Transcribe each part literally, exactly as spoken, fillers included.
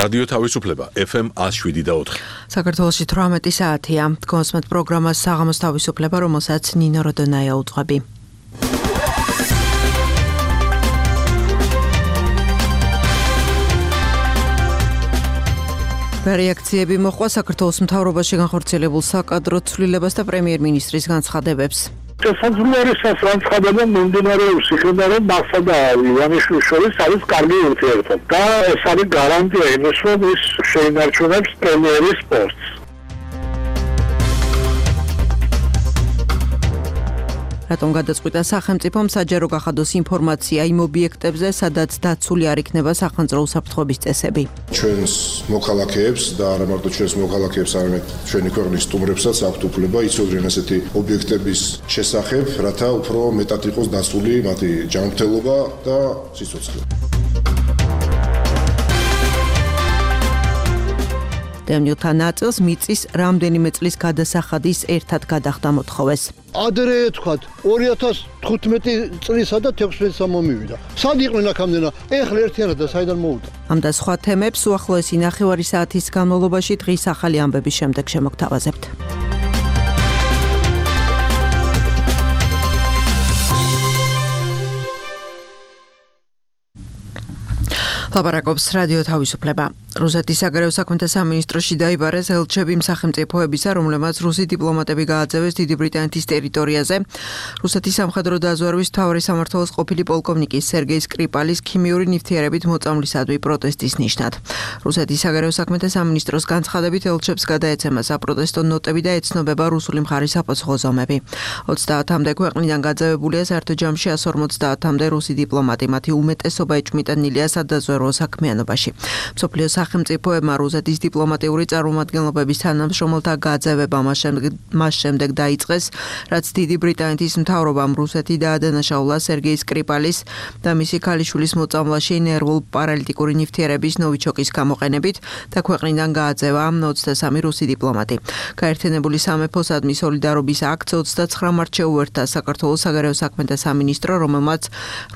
რადიო თავისუფლება ეფ ემ one oh seven და four. საქართველოში თვრამეტი საათია. Კონსმეთ პროგრამას საღამოს თავისუფლება, რომელსაც ნინო როდონაია უძღვები. რეაქციები მოჰყვა საქართველოს მთავრობაში განხორციელებულ საკადრო ცვლილებას და პრემიერ-მინისტრის განცხადებებს. შესაძლოა განცხადება მიმდინარეობს იქიდან, რომ მასა და ივანიშვილის შორის არის კარგი ურთიერთობა და ეს არის გარანტია იმის, რომ ის შეინარჩუნებს პრემიერის პოსტს. რატომ გადაწყვიტა სახელმწიფომ საჯარო გახადოს ინფორმაცია იმ ობიექტებზე, სადაც დაცული არ იქნება სახელმწიფო უსაფრთხოების წესები. ჩვენს მოქალაქეებს და არა მარტო ჩვენს მოქალაქეებს, არამედ ჩვენი ქვეყნის სტუმრებსაც აქვთ უფლება იცოდნენ ასეთი ობიექტების შესახებ, რათა უფრო მეტად იყოს დასული მათი ჯანმრთელობა და სიცოცხლე. დევნილთა ნაწილს მიწის რამდენიმე წლის გადასახადის ერთად გადახდა მოთხოვეს. ადრე თქვათ ორი ათას თხუთმეტი წლისა და თექვსმეტი მომივიდა. სად იყვნენ აქამდენა? ეხლა ერთიანად და საიდან მოვიდა? ამ და სხვა თემებს უახლოესი ნახევარი საათის განმავლობაში დღის ახალი ამბების შემდეგ შემოგთავაზებთ. ლაპარაკობს რადიო თავისუფლება. რუსეთის საგარეო საქმეთა სამინისტროში დაიბარეს ელჩები სახელმწიფოებისა, რომლებმაც რუსი დიპლომატები გააძევეს დიდი ბრიტანეთის ტერიტორიაზე. რუსეთის სამხედრო დაზვერვის მთავარი სამმართველოს ყოფილი პოლკოვნიკი სერგეი სკრიპალის ქიმიური ნივთიერებით მოწამვლისადმი პროტესტის ნიშნად. რუსეთის საგარეო საქმეთა სამინისტროს განცხადებით ელჩებს გადაეცემა საპროტესტო ნოტები და ეცნობება რუსული მხარის საპასუხო ზომები. ოცდაათამდე ქვეყნიდან გაძევებულია საერთო ჯამში one hundred forty-მდე რუსი დიპლომატი, მათი უმეტესობა ეჭვმიტანილია სადაზვერვო საქმიანობაში. მსოფლიოს სახელმწიფოებმა რუსეთის დიპლომატიური წარმომადგენლობების თანამშრომელთა გაძევება მას შემდეგ დაიწყეს, რაც დიდი ბრიტანეთის მთავრობამ რუსეთი დაადანაშაულა სერგეი სკრიპალის და მისი ქალიშვილის მოწამვლაში ნერვულ პარალიტიკური ნივთიერების ნოვიჩოკის გამოყენებით და ქვეყნიდან გააძევა ოცდასამი რუსი დიპლომატი. გაერთიანებული სამეფოსადმი სოლიდარობის აქტს ოცდაცხრა მარტს შეუერთდა საქართველოს საგარეო საქმეთა სამინისტრო, რომელმაც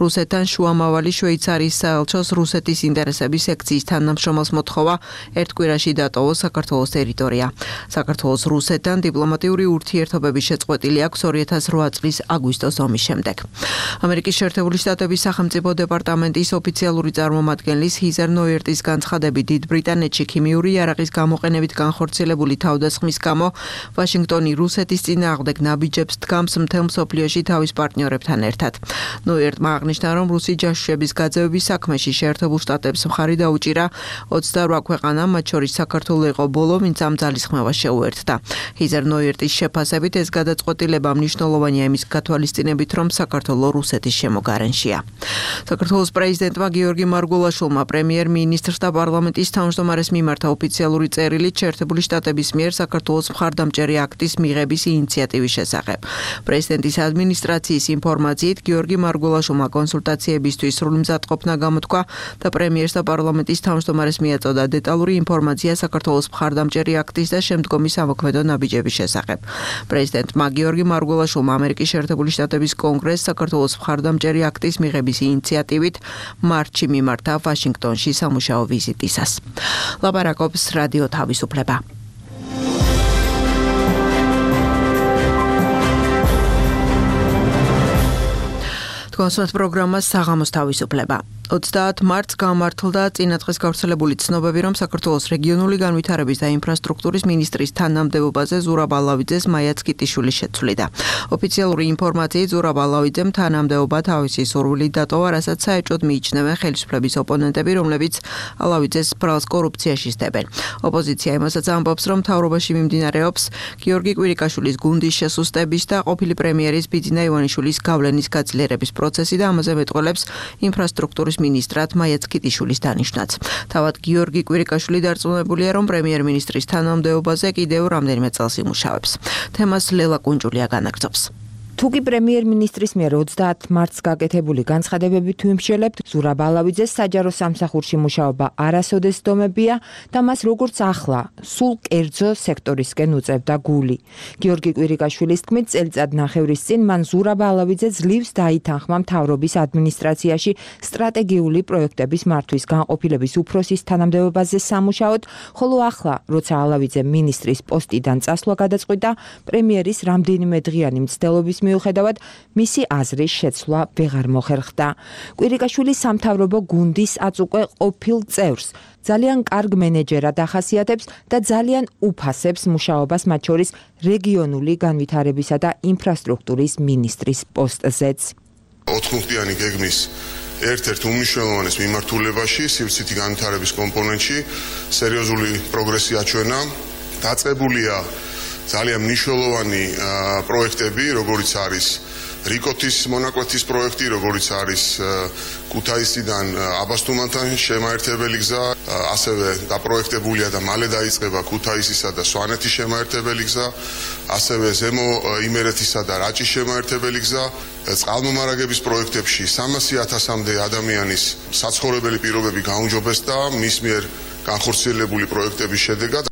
რუსეთთან შუამავალი შვეიცარიის საელჩოს რუსეთის ინტერესების სექციის თანამშრომელს მოთხოვა ერთ კვირაში დატოვოს საქართველოს ტერიტორია. საქართველოს რუსეთთან დიპლომატიური ურთიერთობების შეწყვეტილი აქვს ორი ათას რვა წლის აგვისტოს ომის შემდეგ. ამერიკის შეერთებული შტატების სახელმწიფო დეპარტამენტის ოფიციალური წარმომადგენლის ჰიზერ ნოიერტის განცხადებით, დიდ ბრიტანეთში ქიმიური იარაღის გამოყენებით განხორციელებული თავდასხმის გამო ვაშინგტონი რუსეთის წინააღმდეგ ნაბიჯებს დგამს მთელ მსოფლიოში თავის პარტნიორებთან ერთად. ნოიერტმა აღნიშნა, რომ რუსი ჯაშუშების გაძევების საქმეში შეერთებულ შტატებს მხარი დაუჭირა ოცდარვა ქვეყანა, მათ შორის საქართველო იყო ბოლო, ვინც ამ ძალისხმევას შეუერთდა. ჰიზერ ნოიერტის შეფასებით ეს გადაწყვეტილება მნიშვნელოვანია იმის გათვალისწინებით, რომ საქართველო რუსეთის შემოგარენშია. საქართველოს პრეზიდენტმა გიორგი მარგულაშვილმა პრემიერ-მინისტრს და პარლამენტის თავმჯდომარეს მიმართა ოფიციალური წერილი შეერთებული შტატების მიერ საქართველოს მხარდამჭერი აქტის მიღების ინიციატივის შესახებ. პრეზიდენტის ადმინისტრაციის ინფორმაციით გიორგი მარგულაშვილმა კონსულტაციებისთვის სრული მზადყოფნა გამოთქვა და პრემიერს და პარლამენტის თავმჯდომარეს მიაწოდა დეტალური ინფორმაცია საქართველოს მხარდამჭერი აქტის და შემდგომი სამოქმედო ნაბიჯების შესახებ. პრეზიდენტმა გიორგი მარგულაშვილმა ამერიკის შეერთებული შტატების კონგრესს საქართველოს მხარდამჭერი აქტის მიღების ინიციატივით მარტში მიმართა ვაშინგტონში სამუშაო ვიზიტისას. ლაპარაკობს რადიო თავისუფლება. კონსმეთ პროგრამას საღამოს თავისუფლება. ოცდაათ მარტს გამართლდა წინადღეს გავრცელებული ცნობები, რომ საქართველოს რეგიონული განვითარების და ინფრასტრუქტურის მინისტრის თანამდებობაზე ზურაბ ალავიძეს მაიაც კიტიშვილის შეცვლიდა. ოფიციალური ინფორმაციით ზურაბ ალავიძემ თანამდებობა თავისი სურვილით დატოვა, რასაც საეჭვოდ მიიჩნევენ ხელისუფლების ოპონენტები, რომლებიც ალავიძეს ბრალს კორუფციაში სდებენ. ოპოზიცია იმასაც ამბობს, რომ მთავრობაში მიმდინარეობს გიორგი კვირიკაშვილის გუნდის შესუსტების და ყოფილი პრემიერის ბიძინა ივანიშვილის გავლენის გაძლიერების პროცესი და ამაზე მეტყველებს ინფრასტრუქტურის მინისტრად მაიაც კიტიშვილის დანიშვნაც. თავად გიორგი კვირიკაშვილი დარწმუნებულია, რომ პრემიერ-მინისტრის თანამდებობაზე კიდევ რამდენიმე წელს იმუშავებს. თემას ლელა კუნჭულია განაგრძობს. თუკი პრემიერ-მინისტრის მიერ ოცდაათ მარტს გაკეთებული განცხადებებით ვიმსჯელებთ, ზურაბ ალავიძეს საჯარო სამსახურში მუშაობა არასოდეს დომებია და მას როგორც ახლა სულ კერძო სექტორისკენ უწევდა გული. გიორგი კვირიკაშვილის თქმით, წელიწად ნახევრის წინ მან ზურაბ ალავიძე ძლივს დაითანხმა მთავრობის ადმინისტრაციაში სტრატეგიული პროექტების მართვის განყოფილების უფროსის თანამდებობაზე სამუშაოდ, ხოლო ახლა, როცა ალავიძე მინისტრის პოსტიდან წასვლა გადაწყვიტა, პრემიერის რამდენიმე დღიანი მცდელობის მიუხედავად, მისი აზრის შეცვლა ვეღარ მოხერხდა. კვირიკაშვილი სამთავრობო გუნდის აწუყვე ყოფილ წევრს ძალიან კარგ მენეჯერად ახასიათებს და ძალიან უფასებს მუშაობას მათ შორის რეგიონული განვითარებისა და ინფრასტრუქტურის მინისტრის პოსტზეც. ოთხმუხტიანი გეგმის ერთ-ერთ უმნიშვნელოვანეს მიმართულებაში, სივრცითი განვითარების კომპონენტში, სერიოზული პროგრესი აჩვენა. დაწყებულია ძალიან მნიშვნელოვანი პროექტები, როგორიც არის რიკოთის მონაკვეთის პროექტი, როგორიც არის ქუთაისიდან აბასთუმანთან შემაერთებელი გზა, ასევე დაპროექტებულია და მალე დაიწყება ქუთაისისა და სვანეთის შემაერთებელი გზა, ასევე ზემო იმერეთისა და რაჭის შემაერთებელი გზა, წყალმომარაგების პროექტებში სამასი ათასამდე ადამიანის საცხოვრებელი პირობები გაუმჯობესდა მის მიერ განხორციელებული პროექტების შედეგად.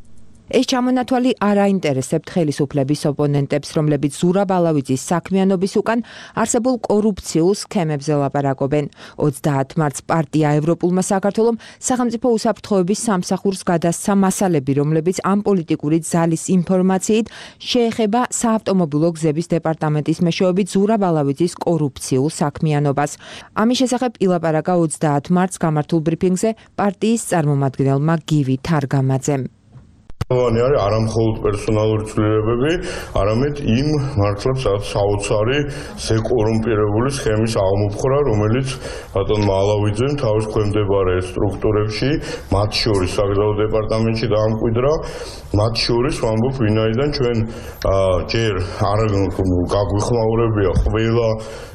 ეს ჩამონათვალი არ აინტერესებთ ხელისუფლების ოპონენტებს, რომლებიც ზურაბ ალავიძის საქმიანობის უკან არსებულ კორუფციულ სქემებზე ლაპარაკობენ. ოცდაათ მარტს პარტია ევროპულმა საქართველომ სახელმწიფო უსაფრთხოების სამსახურს გადასცა მასალები, რომლებიც ამ პოლიტიკური ძალის ინფორმაციით შეეხება საავტომობილო გზების დეპარტამენტის მეშვეობით ზურაბ ალავიძის კორუფციულ საქმიანობას. ამის შესახებ ილაპარაკა ოცდაათ მარტს გამართულ ბრიფინგზე პარტიის წარმომადგენელმა გივი თარგამაძემ. მთავარი არის არამხოლოდ პერსონალური ცვლილებები, არამედ იმ მართლაც საოცარი ზეკორუმპირებული სქემის აღმოფხვრა, რომელიც ბატონმა ალავიძემ თავის ქვემდებარე სტრუქტურებში, მათ შორის საგზაო დეპარტამენტში დაამკვიდრა, მათ შორის ვამბობ, ვინაიდან ჩვენ ჯერ არ გაგვიხმაურებია ყველა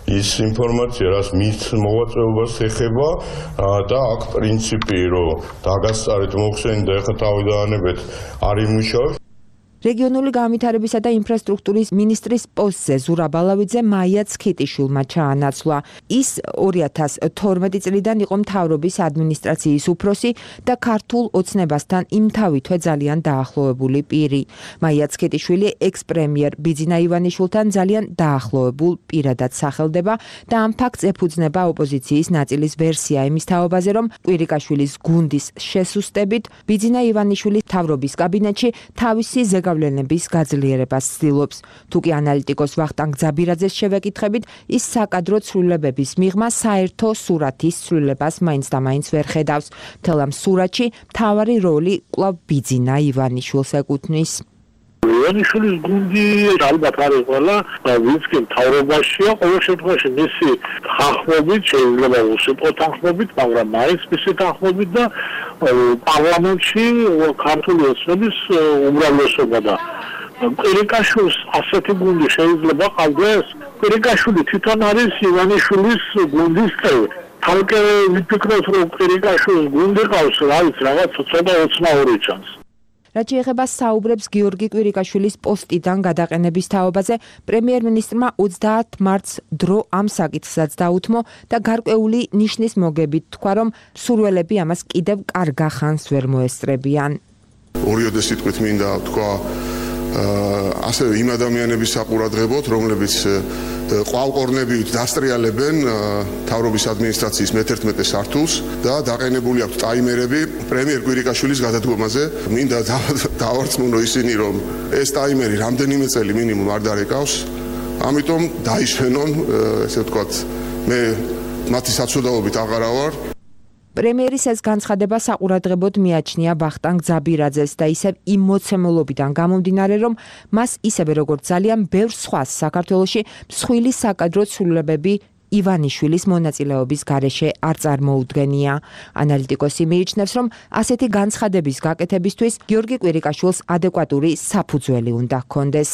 ის ინფორმაცია, რაც მის მოვაწეობას ეხება და აქ პრინციპი, რომ დაგასწარეთ მოხსენით და ეხლა თავიდანებეთ არ იმუშავებს. რეგიონული განვითარებისა და ინფრასტრუქტურის მინისტრის პოსტზე ზურაბ ალავიძე მაია ცქიტიშვილმა ჩაანაცვლა. ის ორი ათას თორმეტი წლიდან იყო მთავრობის ადმინისტრაციის უფროსი და ქართულ ოცნებასთან იმთავითვე ძალიან დაახლოებული პირი. მაია ცქიტიშვილი ექს-პრემიერ ბიძინა ივანიშვილთან ძალიან დაახლოებულ პირადად სახელდება და ამ ფაქტს ეფუძნება ოპოზიციის ნაწილის ვერსია იმის თაობაზე, რომ კვირიკაშვილის გუნდის შესუსტებით ბიძინა ივანიშვილი მთავრობის კაბინეტში თავისი გავლენების გაძლიერებას ცდილობს. თუკი ანალიტიკოს ვახტანგ ძაბირაძეს შევეკითხებით, ის საკადრო ცვლილებების მიღმა საერთო სურათის ცვლილებას მაინც და მაინც ვერ ხედავს. მთელ ამ სურათში მთავარი როლი კვლავ ბიძინა ივანიშვილს ეკუთვნის. ივანიშვილის გუნდი ალბათ არის ყველა, ვინც კი მთავრობაშია, ყოველ შემთხვევაში მისი თანხმობით, შეიძლება უსიტყვო თანხმობით, მაგრამ მაინც მისი თანხმობით და პარლამენტში ქართული ოცნების უმრავლესობა და კვირიკაშვილს ასეთი გუნდი შეიძლება ყავდეს. კვირიკაშვილი თვითონ არის ივანიშვილის გუნდის წევრი. თალკე ვიფიქროთ, რომ კვირიკაშვილის გუნდი ყავს, რა ვიცი, რაღაც ცოტა ოცნაური ჩანს. რაც შეეხება საუბრებს გიორგი კვირიკაშვილის პოსტიდან გადაყენების თაობაზე, პრემიერ-მინისტრმა ოცდაათ მარტს დრო ამ საკითხსაც დაუთმო და გარკვეული ნიშნის მოგებით თქვა, რომ სურველები ამას კიდევ კარგა ხანს ვერ მოესწრებიან. ორიოდე სიტყვით მინდა თქვა ასევე იმ ადამიანების საყურადღებოდ, რომლებიც ყვალყორნებით დასტრიალებენ მთავრობის ადმინისტრაციის მეთერთმეტე სართულს და დაყენებული აქვს ტაიმერები პრემიერ კვირიკაშვილის გადადგომაზე. მინდა დავარწმუნო ისინი, რომ ეს ტაიმერი რამდენიმე წელი მინიმუმ არ დარეკავს. ამიტომ დაისვენონ, ესე ვთქვათ, მე მათი საცოდაობით აღარა ვარ. პრემიერის ეს განცხადება საყურადღებოდ მიაჩნია ვახტანგ ძაბირაძეს და ისევ იმ მოცემულობიდან გამომდინარე, რომ მას ისევე როგორც ძალიან ბევრ სხვას საქართველოში მსხვილი საკადრო ცვლილებები ივანიშვილის მონაწილეობის გარეშე არ წარმოუდგენია. ანალიტიკოსი მიიჩნევს, რომ ასეთი განცხადების გაკეთებისთვის გიორგი კვირიკაშვილს ადეკვატური საფუძველი უნდა ჰქონდეს.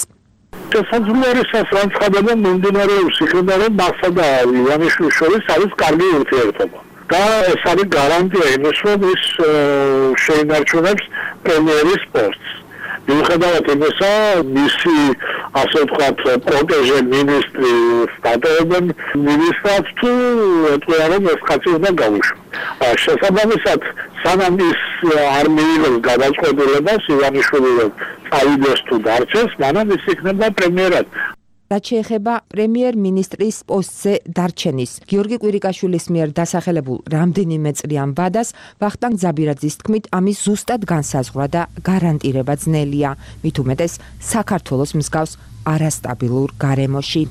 შესაძლოა არის ეს განცხადება მომდინარეობს იქიდან, რომ მასა და ივანიშვილის შორის არის კარგი ურთიერთობა. და ეს არის გარანტია იმის, რომ ის შეინარჩუნებს პრემიერის პოსტს. მიუხედავად იმისა, მისი ასე ვთქვათ, პროტეჟე მინისტრი სტატევენ მინისტრად თუ ეტყობა რომ ეს კაცი უნდა გაუშვა. შესაბამისად, სანამ ის არ მიიღებს გადაწყვეტილებას ივანიშვილი წავიდეს თუ დარჩეს, მანამ ის იქნება პრემიერად. რაც შეეხება პრემიერ-მინისტრის პოსტზე დარჩენის, გიორგი კვირიკაშვილის მიერ დასახელებულ რამდენიმე წრიან ვადას, ვახტანგ ძაბირაძის თქმით, ამის ზუსტად განსაზღვრა და გარანტირება ძნელია, მით უმეტეს საქართველოს მსგავს არასტაბილურ გარემოში.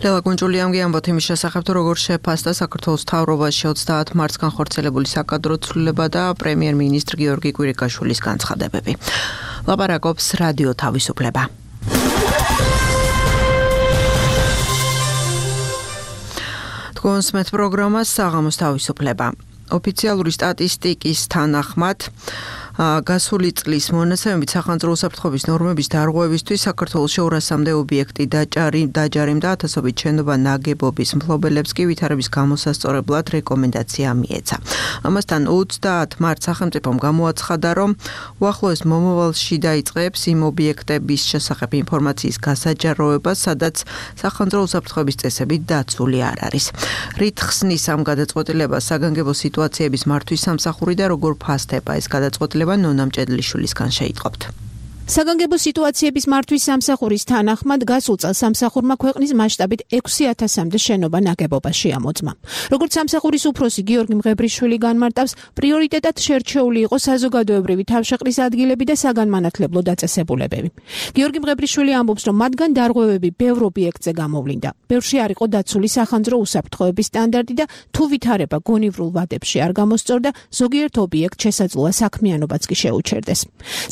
ლელა გუნჯულიამ გიამბოთ იმის შესახებ, თუ როგორ შეფასდა საქართველოს მთავრობაში ოცდაათ მარტს განხორციელებული საკადრო ცვლილება და პრემიერ-მინისტრ გიორგი კვირიკაშვილის განცხადებები. ლაპარაკობს რადიო თავისუფლება. კონსმეთ პროგრამას საღამოს თავისუფლება. ოფიციალური სტატისტიკის თანახმად გასული წლის მონაცემებით სახანძრო უსაფრთხოების ნორმების დარღვევისთვის საქართველოში ორასამდე ობიექტი დაჯარიმდა და ათასობით შენობა ნაგებობის მფლობელებს კი ვითარების გამოსასწორებლად რეკომენდაცია მიეცა. ამასთან ოცდაათ მარტს სახელმწიფომ გამოაცხადა, რომ უახლოეს მომავალში დაიწყებს იმ ობიექტების შესახებ ინფორმაციის გასაჯაროება, სადაც სახანძრო უსაფრთხოების წესებით დაცული არ არის. რით ხსნის ამ გადაწყვეტილებას საგანგებო სიტუაციების მართვის სამსახური და როგორ ფასდება ეს გადაწყვეტილება ნონა მჭედლიშვილისგან შეიტყობთ. საგანგებო სიტუაციების მართვის სამსახურის თანახმად გასულ წელს სამსახურმა ქვეყნის მასშტაბით ექვსი ათასამდე შენობა ნაგებობა შეამოწმა. როგორც სამსახურის უფროსი გიორგი მღებრიშვილი განმარტავს, პრიორიტეტად შერჩეული იყო საზოგადოებრივი თავშეყრის ადგილები და საგანმანათლებლო დაწესებულებები. გიორგი მღებრიშვილი ამბობს, რომ მათგან დარღვევები ბევრ ობიექტზე გამოვლინდა. ბევრში არ იყო დაცული სახანძრო უსაფრთხოების სტანდარტი და თუ ვითარება გონივრულ ვადებში არ გამოსწორდა, ზოგიერთ ობიექტ შესაძლოა საქმიანობაც კი შეუჩერდეს.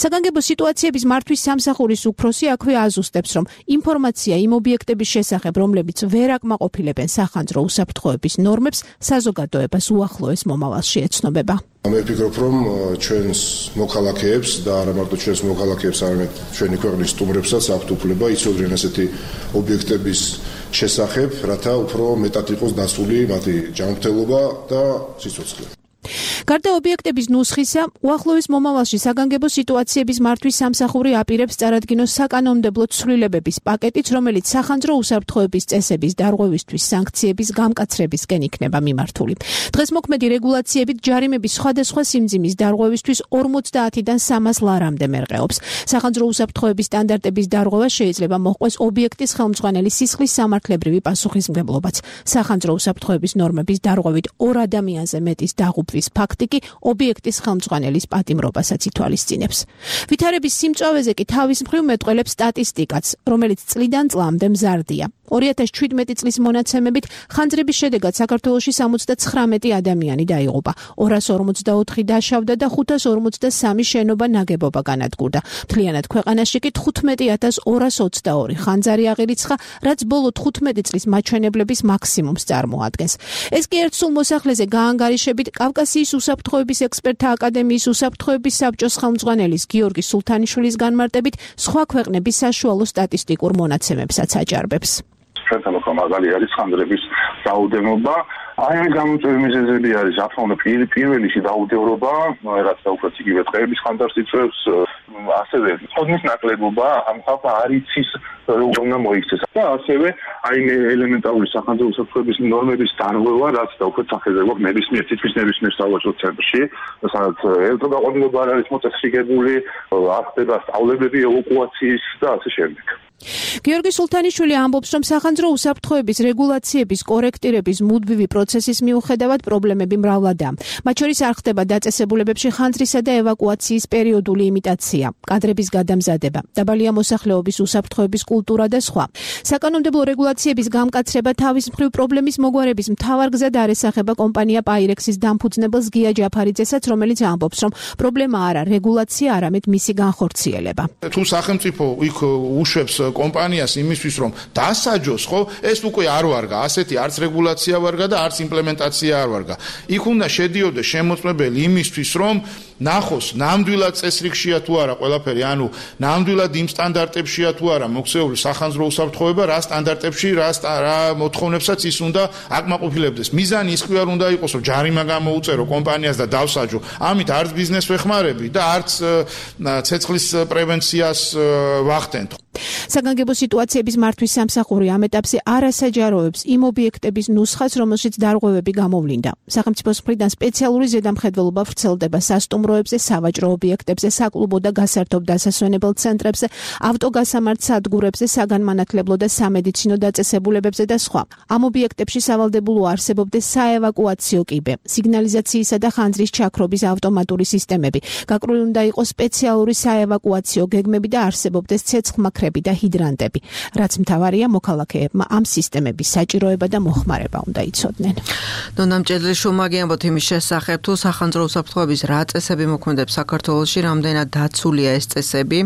საგანგებო სიტუაციების მართვის სამსახურის უფროსი აქვე აზუსტებს, რომ ინფორმაცია იმ ობიექტების შესახებ, რომლებიც ვერ აკმაყოფილებენ სახანძრო უსაფრთხოების ნორმებს, საზოგადოებას უახლოეს მომავალში ეცნობება. მე ვფიქრობ, რომ ჩვენს მოქალაქეებს და არა მარტო ჩვენს მოქალაქეებს, არამედ ჩვენი ქვეყნის სტუმრებსაც აქვთ უფლება იცოდნენ ასეთი ობიექტების შესახებ, რათა უფრო მეტად იყოს დასული მათი ჯანმრთელობა და სიცოცხლე. გარდა ობიექტების ნუსხისა, უახლოეს მომავალში საგანგებო სიტუაციების მართვის სამსახური აპირებს წარადგინოს საკანონმდებლო ცვლილებების პაკეტიც, რომელიც სახანძრო უსაფრთხოების წესების დარღვევისთვის სანქციების გამკაცრებისკენ იქნება მიმართული. დღეს მოქმედი რეგულაციებით ჯარიმების სხვადასხვა სიმძიმის დარღვევისთვის ორმოცდაათიდან სამას ლარამდე მერყეობს. სახანძრო უსაფრთხოების სტანდარტების დარღვევა შეიძლება მოჰყვეს ობიექტის ხელმძღვანელი სისხლის სამართლებრივი პასუხისმგებლობაც. სახანძრო უსაფრთხოების ნორმების დარღვევით ორ ადამიანზე მეტის დაღუპვის ფაქტი კი ობიექტის ხელმძღვანელის პატიმრობასაც ითვალისწინებს. ვითარების სიმწვავეზე კი თავის მხრივ მეტყველებს სტატისტიკაც, რომელიც წლიდან წლამდე მზარდია. ორი ათას შვიდმეტი წლის მონაცემებით ხანძრების შედეგად საქართველოში სამოცდაცხრამეტი ადამიანი დაიღუპა, ორას ორმოცდაოთხი დაშავდა და ხუთას ორმოცდასამი შენობა ნაგებობა განადგურდა. მთლიანად ქვეყანაში კი თხუთმეტი ათას ორას ოცდაორი ხანძარი აღირიცხა, რაც ბოლო თხუთმეტი წლის მაჩვენებლების მაქსიმუმს წარმოადგენს. ეს კი ერთ სულ მოსახლეზე გაანგარიშებით კავკასიის უსაფრთხოების ექსპერტთა აკადემიის უსაფრთხოების საბჭოს ხელმძღვანელის გიორგი სულთანიშვილის განმარტებით სხვა ქვეყნების საშუალო სტატისტიკურ მონაცემებსაც აჭარბებს. ჩვენთან უფრო მაგალი არის ხანძრების რაოდენობა. აი ამ გამოწვევი მიზეზები არის რა თქმა უნდა პირველი დაუდევრობა, რაც დაუკვირდით იგივე დღეების ხანძარს იწვევს, ასევე ხოდნის ნაკლებობა, ამ ხალხს არ იცის როგორ უნდა მოიქცეს და ასევე აი ელემენტარული სახანძრო უსაფრთხოების ნორმების დარღვევა, რაც დაუკვირდით სახეზე გვაქვს ნებისმიერ თითქმის ნებისმიერ სავაჭრო ცენტრში, სადაც ელექტროგაყოლება არ არის მოწესრიგებული, არ ხდება სწავლებები ევაკუაციის და ასე შემდეგ. გიორგი სულთანიშვილი ამბობს, რომ სახანძრო უსაფრთხოების რეგულაციების კორექტირების მუდმივი პროცესის მიუხედავად პრობლემები მრავლადაა. მათ შორის არ ხდება დაწესებულებებში ხანძრისა და ევაკუაციის პერიოდული იმიტაცია, კადრების გადამზადება, დაბალია მოსახლეობის უსაფრთხოების კულტურა და სხვა. საკანონმდებლო რეგულაციების გამკაცრება თავის მხრივ პრობლემის მოგვარების მთავარ გზად არ ესახება კომპანია Pyrex-ის დამფუძნებელს გია ჯაფარიძესაც, რომელიც ამბობს, რომ პრობლემა არა რეგულაცია, არამედ მისი განხორციელება. თუ სახელმწიფო იქ უშვებს კომპანიას იმისთვის, რომ დასაჯოს, ხო, დღეს უკვე არ ვარგა, ასეთი არც რეგულაცია ვარგა და არც იმპლემენტაცია არ ვარგა. იქ უნდა შედიოდეს შემოწმებელი იმისთვის, რომ ნახოს ნამდვილად წესრიგშია თუ არა ყველაფერი, ანუ ნამდვილად იმ სტანდარტებშია თუ არა მოქცეული სახანძრო უსაფრთხოება, რა სტანდარტებში, რა რა მოთხოვნებსაც ის უნდა აკმაყოფილებდეს. მიზანი ის კი არ უნდა იყოს, რომ ჯარიმა გამოუწერო კომპანიას და დავსაჯო. ამით არც ბიზნესს ვეხმარები და არც ცეცხლის პრევენციას ვახდენთ. საგანგებო სიტუაციების მართვის სამსახური ამ ეტაპზე არ ასაჯაროებს იმ ობიექტების ნუსხას, რომელშიც დარღვევები გამოვლინდა. სახელმწიფოს მხრიდან სპეციალური ზედამხედველობა ვრცელდება სასტუმროებზე, სავაჭრო ობიექტებზე, საკლუბო და გასართობ დასასვენებელ ცენტრებზე, ავტოგასამართ სადგურებზე, საგანმანათლებლო და სამედიცინო დაწესებულებებზე და სხვა. ამ ობიექტებში სავალდებულო არსებობდეს საევაკუაციო კიბე, სიგნალიზაციისა და ხანძრის ჩაქრობის ავტომატური სისტემები. გაკრული უნდა იყოს სპეციალური საევაკუაციო გეგმები და არსებობდეს ცეცხლმაქრები და ჰიდრანტები. რაც მთავარია, მოქალაქეებმა ამ სისტემების საჭიროება და მოხმარება უნდა იცოდნენ. დონამ ჭედლიშვილმა გიამბოთ იმის შესახებ, თუ სახანძრო უსაფრთხოების რა წესები მოქმედებს საქართველოში, რამდენად დაცულია ეს წესები,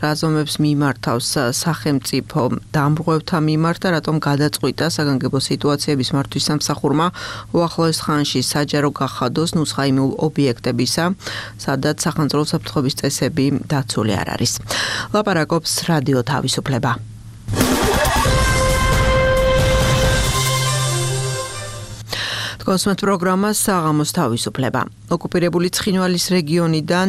რა ზომებს მიმართავს სახელმწიფო დამრღვევთა მიმართ და რატომ გადაწყვიტა საგანგებო სიტუაციების მართვის სამსახურმა უახლოეს ხანში საჯარო გახადოს ნუსხა იმ ობიექტებისა, სადაც სახანძრო უსაფრთხოების წესები დაცული არ არის. ლაპარაკობს რადიო თავისუფლება. კოსმეთ პროგრამა საღამოს თავისუფლება. ოკუპირებული ცხინვალის რეგიონიდან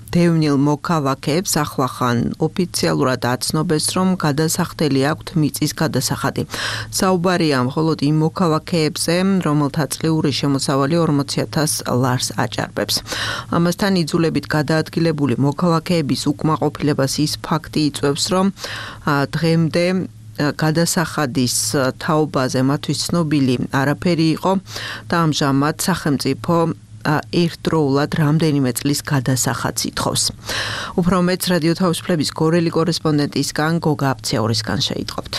დევნილ მოქალაქეებს ახლახან ოფიციალურად აცნობეს, რომ გადასახდელი აქვთ მიწის გადასახადი. საუბარია მხოლოდ იმ მოქალაქეებზე, რომელთა წლიური შემოსავალი ორმოცი ათას ლარს აჭარბებს. ამასთან იძულებით გადაადგილებული მოქალაქეების უკმაყოფილებას ის ფაქტი იწვევს, რომ დღემდე გადასახადის თაობაზე მათთვის ცნობილი არაფერი იყო და ამჟამად სახელმწიფო ერთდროულად რამდენიმე წლის გადასახადს ითხოვს. უფრო მეტს რადიო თავისუფლების გორელი კორესპონდენტისგან გოგა აფცეორისგან შეიტყობთ.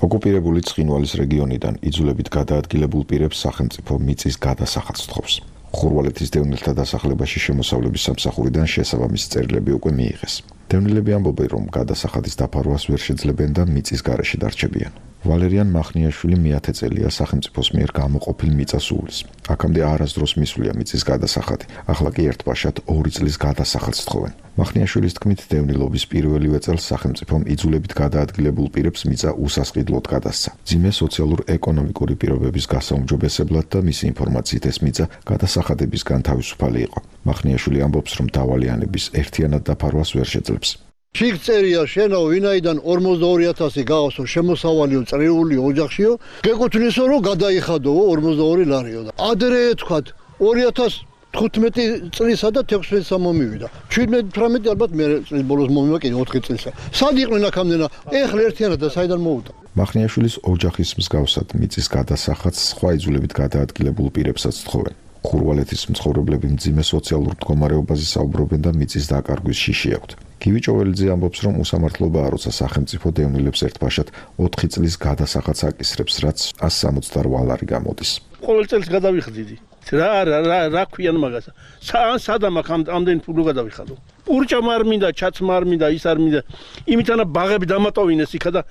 ოკუპირებული ცხინვალის რეგიონიდან იძულებით გადაადგილებულ პირებს სახელმწიფო მიწის გადასახადს თხოვს. ხურვალეთის დევნილთა დასახლებაში შემოსავლების სამსახურიდან შესაბამისი წერილები უკვე მიიღეს. დევნილები ამბობენ, რომ გადასახადის დაფარვას ვერ შეძლებენ და მიწის გარეშე დარჩებიან. ვალერიან მახნიაშვილი მეათე წელია სახელმწიფოს მიერ გამოყოფილ მიწას უვლის. აქამდე არასდროს მისვლია მიწის გადასახადი, ახლა კი ერთბაშად ორი წლის გადასახადს თხოვენ. მახნიაშვილის თქმით, დევნილობის პირველივე წელს სახელმწიფომ იძულებით გადაადგილებულ პირებს მიწა უსასყიდლოდ გადასცა. მძიმე სოციალურ-ეკონომიკური პირობების გასაუმჯობესებლად და მისი ინფორმაციით ეს მიწა გადასახადებისგან თავისუფალი იყო. მახნიაშვილი ამბობს, რომ დავალიანების ერთიანად დაფარვას ვერ შეძლებს. შიგ წერია შენაო ვინაიდან ორმოცდაორი ათასი გაღოსო შემოსავალიო წრიული ოჯახშიო გეკუთვნისო რომ გადაიხადო ორმოცდაორი ლარიო და ადრე თქვათ ორი ათას თხუთმეტი წლისა და თექვსმეტი მომივიდა შვიდმეტი თვრამეტი ალბათ მე წლის ბოლოს მომივა კიდე ოთხი წლისა სად იყვნენ აქამდენა ეხლა ერთიანად და საიდან მოუდა მახნიაშვილის ოჯახის მსგავსად მიწის გადასახადს სხვა იძულებით გადაადგილებულ პირებსაც თხოვენ. ხურვალეთის მცხოვრებლები მძიმე სოციალურ მდგომარეობაზე საუბრობენ და მიწის დაკარგვის შიში აქვთ. გივი ჭოველიძე ამბობს, რომ უსამართლობაა, როცა სახელმწიფო დევნილებს ერთბაშად ოთხი წლის გადასახადს აკისრებს, რაც ას სამოცდაორი ლარი გამოდის. ყოველ წელს გადავიხდიდი. რა რა რა რა ქვიან მაგასა. სადამ აქ ამდენი ფულო გადავიხადო. ურჭა არ მინდა, ჩაცმა არ მინდა, ის არ მინდა. იმითანა ბაღები დამატოვინეს იქა და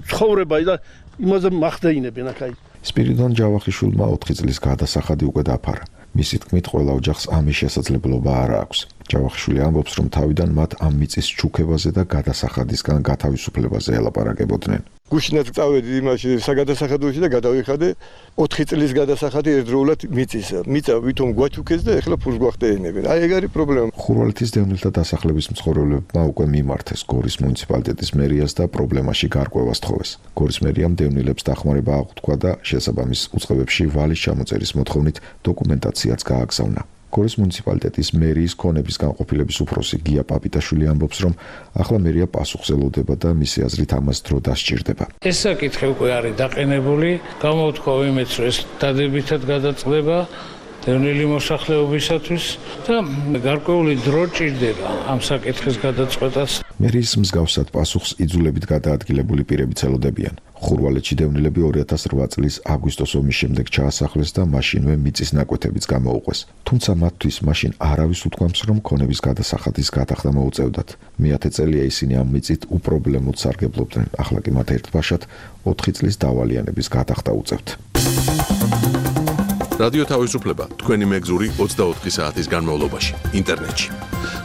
ცხოვრება და იმაზე მახდეინებენ აქ. სპირიდონ ჯავახიშვილმა ოთხი წლის გადასახადი უკვე დაფარა. მისი თქმით, ყველა ოჯახს ამის შესაძლებლობა არ აქვს. ჯავახიშვილი ამბობს, რომ თავიდან მათ ამ მიწის ჩუქებაზე და გადასახადისგან გათავისუფლებაზე ელაპარაკებოდნენ. გუშინაც წავედი იმაში საგადასახადოში და გადავიხადე ოთხი წლის გადასახადი ერთდროულად მიწისა. მიწა ვითომ გვაჩუქეს და ეხლა ფულს გვახდეინებენ. აი ეგ არის პრობლემა. ხურვალეთის დევნილთა დასახლების მცხოვრებლებმა უკვე მიმართეს გორის მუნიციპალიტეტის მერიას და პრობლემაში გარკვევას თხოვეს. გორის მერიამ დევნილებს დახმარება აღუთქვა და შესაბამის უწყებებში ვალის ჩამოწერის მოთხოვნით დოკუმენტაციაც გააგზავნა. გორის მუნიციპალიტეტის მერიის ქონების განყოფილების უფროსი გია პაპიტაშვილი ამბობს, რომ ახლა მერია პასუხს ელოდება და მისი აზრით ამას დრო დასჭირდება. ეს საკითხი უკვე არის დაყენებული, გამოვთქვა იმედს, რომ ეს დადებითად გადაწყდება დევნილი მოსახლეობისათვის და გარკვეული დრო ჭირდება ამ საკითხის გადაწყვეტას. მერიის მსგავსად პასუხს იძულებით გადაადგილებული პირებიც ელოდებიან. ხურვალეთში დევნილები ორი ათას რვა წლის აგვისტოს ომის შემდეგ ჩაასახლეს და მაშინვე მიწის ნაკვეთებიც გამოუყვეს. თუმცა მათთვის მაშინ არავის უთქვამს, რომ ქონების გადასახადის გადახდა მოუწევდათ. მეათე წელია ისინი ამ მიწით უპრობლემოდ სარგებლობდნენ. ახლა კი მათ ერთ ბაშად ოთხი წლის დავალიანების გადახდა უწევთ. რადიო თავისუფლება თქვენი მეგზური ოცდაოთხი საათის განმავლობაში ინტერნეტში.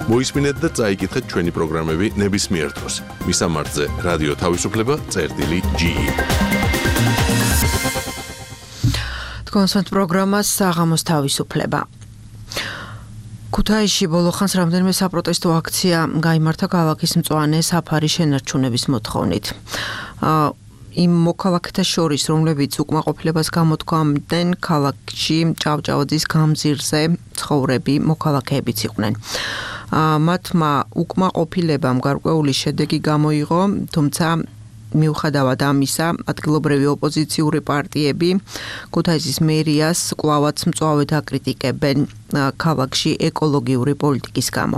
მოისმინეთ და წაიკითხეთ ჩვენი პროგრამები ნებისმიერ დროს. მისამართზე რადიო თავისუფლება წერტილი ჯი ი. თქვენს პროგრამას საღამოს თავისუფლება. ქუთაისში ბოლო ხანს რამდენიმე საპროტესტო აქცია გაიმართა ქალაქის მწვანე საფარი შენარჩუნების მოთხოვნით. იმ მოქალაქეთა შორის, რომლებიც უკმაყოფილებას გამოთქვამდნენ, ქალაქში ჭავჭავაძის გამზირზე ცხოვრები მოქალაქეებიც იყვნენ. მათმა უკმაყოფილებამ გარკვეული შედეგი გამოიღო, თუმცა მიუხედავად ამისა, ადგილობრივი ოპოზიციური პარტიები ქუთაისის მერიას კვლავაც მწვავედ აკრიტიკებენ ქალაქში ეკოლოგიური პოლიტიკის გამო.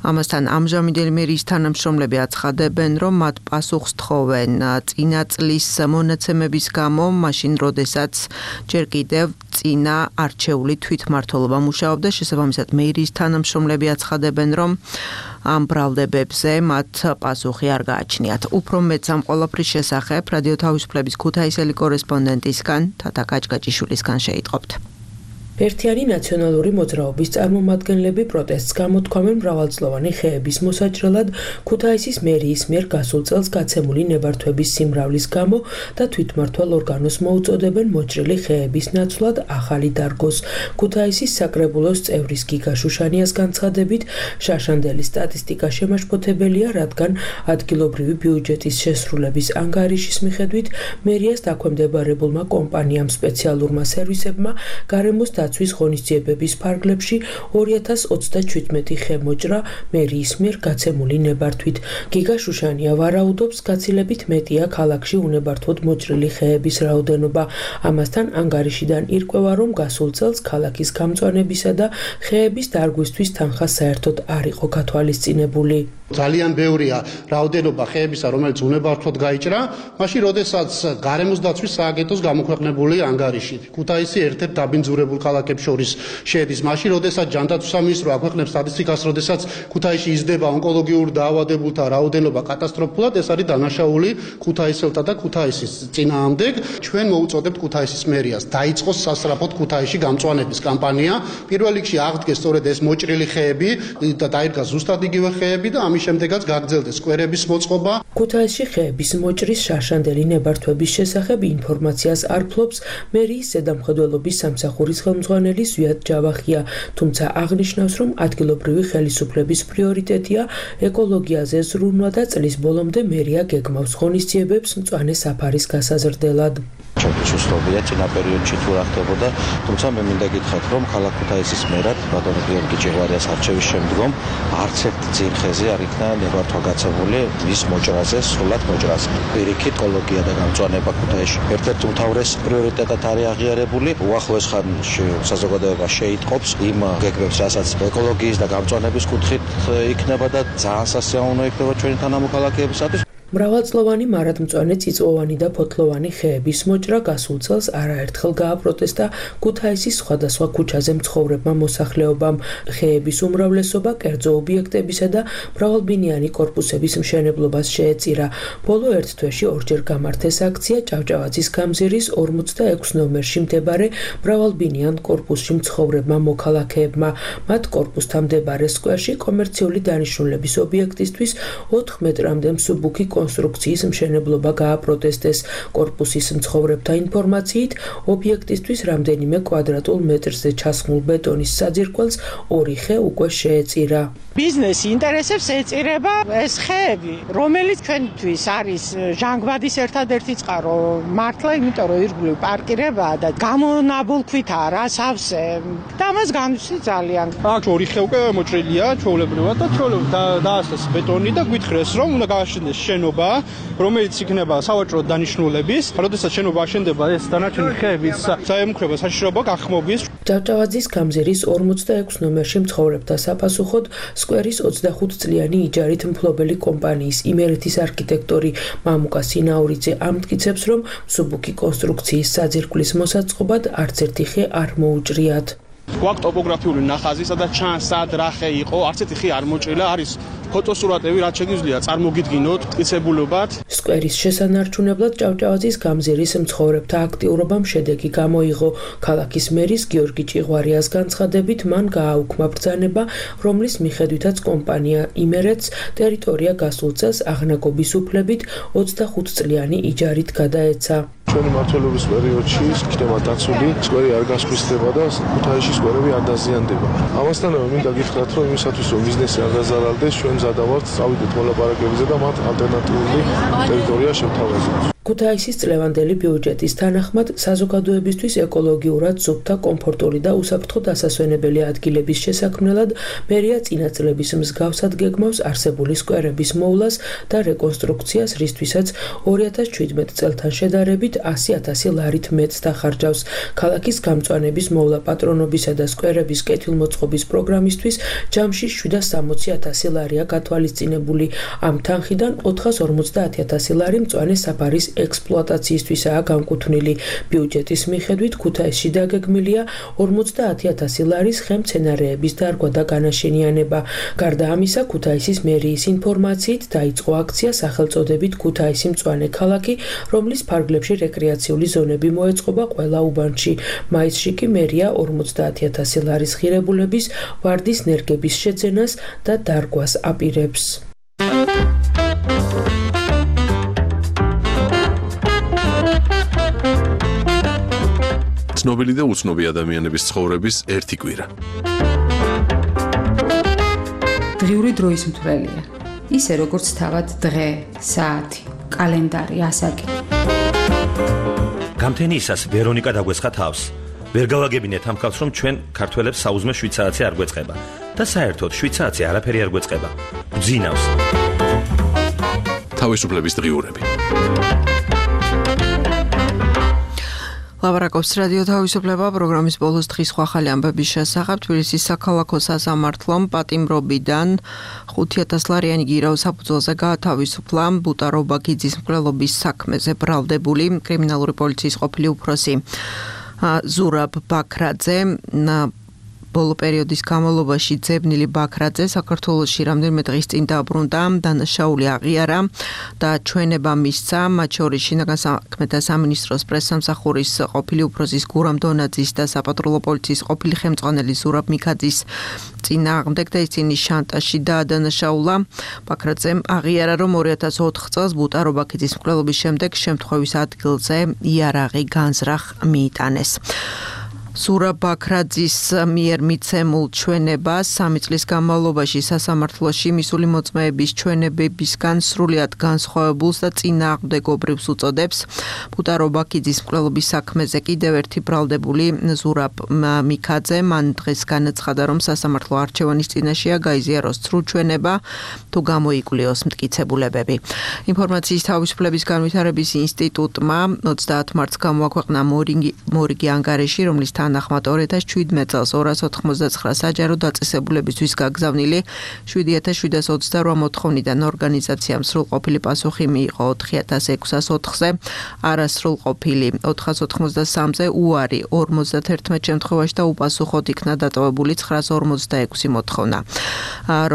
ამასთან ამჟამინდელი მერიის თანამშრომლები აცხადებენ, რომ მათ პასუხს თხოვენ წინა წლის მონაცემების გამო, მაშინ როდესაც ჯერ კიდევ წინა არჩეული თვითმმართველობა მუშაობდა. შესაბამისად, მერიის თანამშრომლები აცხადებენ, რომ ამ ბრალდებებზე მათ პასუხი არ გააჩნიათ. უფრო მეტს ამ ყველაფრის შესახებ რადიო თავისუფლების ქუთაისელი კორესპონდენტისგან თათა კაჭკაჭიშვილისგან შეიტყობთ. ერთიანი ნაციონალური მოძრაობის წარმომადგენლები პროტესტს გამოთქვამენ მრავალწლოვანი ხეების მოსაჭრელად ქუთაისის მერიის მიერ გასულ წელს გაცემული ნებართვების სიმრავლის გამო და თვითმმართველ ორგანოს მოუწოდებენ მოჭრილი ხეების ნაცვლად ახალი დარგოს. ქუთაისის საკრებულოს წევრის გიგა შუშანიას განცხადებით, შაშანდელი სტატისტიკა შემაშფოთებელია, რადგან ადგილობრივი ბიუჯეტის შესრულების ანგარიშის მიხედვით მერიას დაქვემდებარებულმა კომპანიამ სპეციალურმა სერვისებმა გარემოს დაცვის ღონისძიებების ფარგლებში ორი ათას ოცდაჩვიდმეტი ხე მოჭრა მერიის მიერ გაცემული ნებართვით. გიგა შუშანია ვარაუდობს, გაცილებით მეტია ქალაქში უნებართვოდ მოჭრილი ხეების რაოდენობა. ამასთან ანგარიშიდან ირკვევა, რომ გასულ წელს ქალაქის გამწვანებისა და ხეების დარგვისთვის თანხა საერთოდ არ იყო გათვალისწინებული. ძალიან ბევრია რაოდენობა ხეებისა, რომელიც უნებართვოდ გაიჭრა, მაშინ როდესაც გარემოს დაცვის სააგენტოს გამოქვეყნებული ანგარიში ქუთაისი ერთ-ერთ დაბინძურებულ ქალაქებს შორის შედის. მაშინ როდესაც ჯანდაცვის სამინისტრო აქვეყნებს სტატისტიკას, როდესაც ქუთაისში იზრდება ონკოლოგიურ დაავადებულთა რაოდენობა კატასტროფულად, ეს არის დანაშაული ქუთაისელთა და ქუთაისის წინააღმდეგ. ჩვენ მოუწოდებთ ქუთაისის მერიას დაიწყოს სასწრაფოდ ქუთაისში გამწვანების კამპანია. პირველ რიგში აღდგეს სწორედ ეს მოჭრილი ხეები და დაირგა ზუსტად იგივე ხეები და ამის შემდეგაც გაგრძელდეს სკვერების მოწყობა. ქუთაისში ხეების მოჭრის შაშანდელი ნებართვების შესახებ ინფორმაციას არ ფლობს მერიის ზედამხედველობის სამსახურის ხელმძღვანელი ზვიად ჯავახია, თუმცა აღნიშნავს, რომ ადგილობრივი ხელისუფლების პრიორიტეტია ეკოლოგიაზე ზრუნვა და წლის ბოლომდე მერია გეგმავს ღონისძიებებს მწვანე საფარის გასაზრდელად. ჩემთვის უცნობია წინა პერიოდში თუ რა ხდებოდა, თუმცა მე მინდა გითხრათ, რომ ქალაქ ქუთაისის მერად ბატონო გიორგი ჭიღვარიას არჩევის შემდგომ არც ერთ ძირხეზე არ იქნა ნებართვა გაცემული მის მოჭრაზე, სრულად მოჭრაზე. პირიქით ეკოლოგია და გამწვანება ქუთაისში ერთ-ერთ უმთავრეს პრიორიტეტად არის აღიარებული. უახლოეს ხანში საზოგადოება შეიტყობს იმ გეგმებს, რასაც ეკოლოგიის და გამწვანების კუთხით იქნება და ძალიან სასიამოვნო იქნება ჩვენი თანამოქალაქეებისათვის. მრავალწლოვანი მარადმწვანე წიწვოვანი და ფოთლოვანი ხეების მოჭრა გასულ წელს არაერთხელ გააპროტესტა ქუთაისის სხვადასხვა ქუჩაზე მცხოვრებმა მოსახლეობამ. ხეების უმრავლესობა კერძო ობიექტებისა და მრავალბინიანი კორპუსების მშენებლობას შეეწირა. ბოლო ერთ თვეში ორჯერ გამართეს აქცია ჭავჭავაძის გამზირის ორმოცდაექვსი ნომერში მდებარე მრავალბინიან კორპუსში მცხოვრებმა მოქალაქეებმა. მათ კორპუსთან მდებარე სკვერში კომერციული დანიშნულების ობიექტისთვის ოთხ მეტრამდე მსუბუქი კონსტრუქციის მშენებლობა გააპროტესტეს. კორპუსის მცხოვრებთა ინფორმაციით, ობიექტისთვის რამდენიმე კვადრატულ მეტრზე ჩასხმულ ბეტონის საძირკველს ორი ხე უკვე შეეწირა. ბიზნესი ინტერესებს ეწირება ეს ხეები, რომელიც ჩვენთვის არის ჟანგბადის ერთადერთი წყარო. მართლა, იმიტომ რომ ირგვლივ პარკირებაა და გამონაბოლქვითაა რა სავსე და მას განვსი ძალიან. აქ ორი ხე უკვე მოჭრილია ჩვეულებრივად და ჩვეულებრივად დაასწრეს ბეტონი და გვითხრეს, რომ უნდა გააშენდეს შენობა, რომელიც იქნება სავაჭრო დანიშნულების. როდესაც შენობა აშენდება, ეს დანარჩენი ხეების საემუქრება საშიშროება გახმობის. ჭავჭავაძის გამზირის ორმოცდაექვსი ნომერში მცხოვრებთა საფასუხოდ სკვერის ოცდახუთ წლიანი იჯარით მფლობელი კომპანიის იმერეთის არქიტექტორი მამუკა სინაურიძე ამტკიცებს, რომ მსუბუქი კონსტრუქციის საძირკვლის მოსაწყობად არც ერთი ხე არ მოუჭრიათ. გვაქვს ტოპოგრაფიული ნახაზი, სადაც ჩანს სად რა ხე იყო, არც ერთი ხე არ მოჭრილა, არის ფოტოსურათები, რაც შეგიძლია წარმოგიდგინოთ მტკიცებულებად. სკვერის შესანარჩუნებლად ჭავჭავაძის გამზირის მცხოვრებთა აქტიურობამ შედეგი გამოიღო. ქალაქის მერის გიორგი ჭიღვარიას განცხადებით, მან გააუქმა ბრძანება, რომლის მიხედვითაც კომპანია იმერეთს ტერიტორია გასულ წელს აღნაგობის უფლებით ოცდახუთ წლიანი იჯარით გადაეცა. ჩვენი მმართველობის პერიოდში იქნება დაცული სკვერი არ გასხვისდება და ქუთაისში სკვერები არ დაზიანდება. ამასთანავე მინდა გითხრათ, რომ იმისათვის რომ ბიზნესი არ დაზარალდეს, ჩვენ მზადავართ წავიდეთ მოლაპარაკებებზე და მათ ალტერნატიული ტერიტორია შევთავაზოთ. ქუთაისის წლევანდელი ბიუჯეტის თანახმად საზოგადოებისთვის ეკოლოგიურად ზოგთა კომფორტული და უსაფრთხო დასასვენებელი ადგილების შესაქმნელად მერია წინა წლების მსგავსად გეგმავს არსებული სკვერების მოვლას და რეკონსტრუქციას, რისთვისაც ორი ათას შვიდმეტ წელთან შედარებით ასი ათასი ლარით მეტს დახარჯავს. ქალაქის გამწვანების მოვლა პატრონობისა და სკვერების კეთილმოწყობის პროგრამისთვის ჯამში შვიდას სამოცი ათასი ლარია გათვალისწინებული. ამ თანხიდან ოთხას ორმოცდაათი ათასი ლარი მწვანე საფარის ექსპლუატაციისთვისაა განკუთვნილი. ბიუჯეტის მიხედვით ქუთაისში დაგეგმილია ორმოცდაათი ათასი ლარის ხემცენარეების დარგვა და განაშენიანება. გარდა ამისა, ქუთაისის მერიის ინფორმაციით დაიწყო აქცია სახელწოდებით ქუთაისი მწვანე ქალაქი, რომლის ფარგლებში რეკრეაციული ზონები მოეწყობა ყველა უბანში. მაისში კი მერია ორმოცდაათი ათასი ლარის ღირებულების ვარდის ნერგების შეძენას და დარგვას აპირებს. ცნობილი და უცნობი ადამიანების ცხოვრების ერთი კვირა. დღიური დროის მთვრელია. ისე როგორც თავად დღე, საათი, კალენდარი, ასაკი. გამთენიისას ვერონიკა დაგვესხა თავს. ვერ გავაგებინეთ ამ ხალხს, რომ ჩვენ ქართველებს საუზმე შვიდ საათზე არ გვეწყება და საერთოდ შვიდ საათზე არაფერი არ გვეწყება. გძინავს. თავისუფლების დღიურები. ლაპარაკობს რადიო თავისუფლება პროგრამის ბოლოს დღის სხვა ხალი ამბების შესახებ. თბილისის საქალაქო სასამართლომ პატიმრობიდან ხუთი ათას ლარიანი გირავ საფუძველზე გაათავისუფლა ბუტარო ბაქიძის მკვლელობის საქმეზე ბრალდებული კრიმინალური პოლიციის ყოფილი უფროსი ზურაბ ბაქრაძე. ბოლო პერიოდის განმავლობაში ძებნილი ბაქრაძე საქართველოში რამდენიმე დღის წინ დაბრუნდა, დანაშაული აღიარა და ჩვენება მისცა, მათ შორის შინაგან საქმეთა სამინისტროს პრესსამსახურის ყოფილი უფროსის გურამ დონაძის და საპატრულო პოლიციის ყოფილი ხელმძღვანელი ზურაბ მიქაძის წინააღმდეგ და ისინი შანტაჟში დაადანაშაულა. ბაქრაძემ აღიარა, რომ ორი ათას ოთხ წელს ბუტარო ბაქიძის მკვლელობის შემდეგ შემთხვევის ადგილზე იარაღი განზრახ მიიტანეს. ზურაბ ბაქრაძის მიერ მიცემულ ჩვენებას სამი წლის განმავლობაში სასამართლოში მისული მოწმეების ჩვენებებისგან სრულიად განსხვავებულს და წინააღმდეგობრივს უწოდებს. ბუტარო ბაქიძის მკვლელობის საქმეზე კიდევ ერთი ბრალდებული ზურაბ მიქაძე მან დღეს განაცხადა, რომ სასამართლო არჩევანის წინაშეა გაიზიაროს ცრუ ჩვენება თუ გამოიკვლიოს მტკიცებულებები. ინფორმაციის თავისუფლების განვითარების ინსტიტუტმა ოცდაათ მარტს გამოაქვეყნა მორიგი ანგარიში, რომლის თანახმად ორი ათას შვიდმეტ წელს ორას ოთხმოცდაცხრა საჯარო დაწესებულებისთვის გაგზავნილი შვიდი ათას შვიდას ოცდარვა მოთხოვნიდან ორგანიზაციამ სრულყოფილი პასუხი მიიღო ოთხი ათას ექვსას ოთხზე, არასრულყოფილი ოთხას ოთხმოცდასამზე, უარი ორმოცდაათერთმეტ შემთხვევაში და უპასუხოდ იქნა დატოვებული ცხრას ორმოცდაექვსი მოთხოვნა.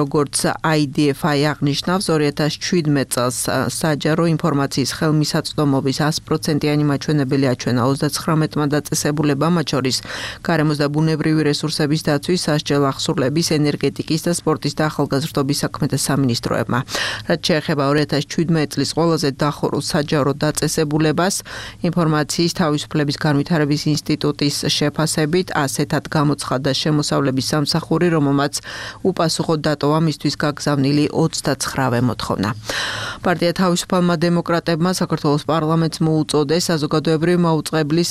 როგორც აი დი ეფ აი აღნიშნავს, ორი ათას შვიდმეტ წელს საჯარო ინფორმაციის ხელმისაწვდომობის ას პროცენტიანი მაჩვენებელი აჩვენა ოცდაცხრამეტმა დაწესებულებამ, მათ შორის გარემოს და ბუნებრივი რესურსების დაცვის, სასჯელ ახსურლების, ენერგეტიკის და სპორტის და ახალგაზრდობის საქმეთა სამინისტროებმა. რაც შეეხება ორი ათას შვიდმეტ წლის ყველაზე დახურულ საჯარო დაწესებულებას, ინფორმაციის თავისუფლების განვითარების ინსტიტუტის შეფასებით ასეთად გამოცხადდა შემოსავლების სამსახური, რომელმაც უპასუხოდ დატოვა მისთვის გაგზავნილი ოცდაცხრა მოთხოვნა. პარტია თავისუფალმა დემოკრატებმა საქართველოს პარლამენტს მოუწოდეს საზოგადოებრივი მაუწყებლის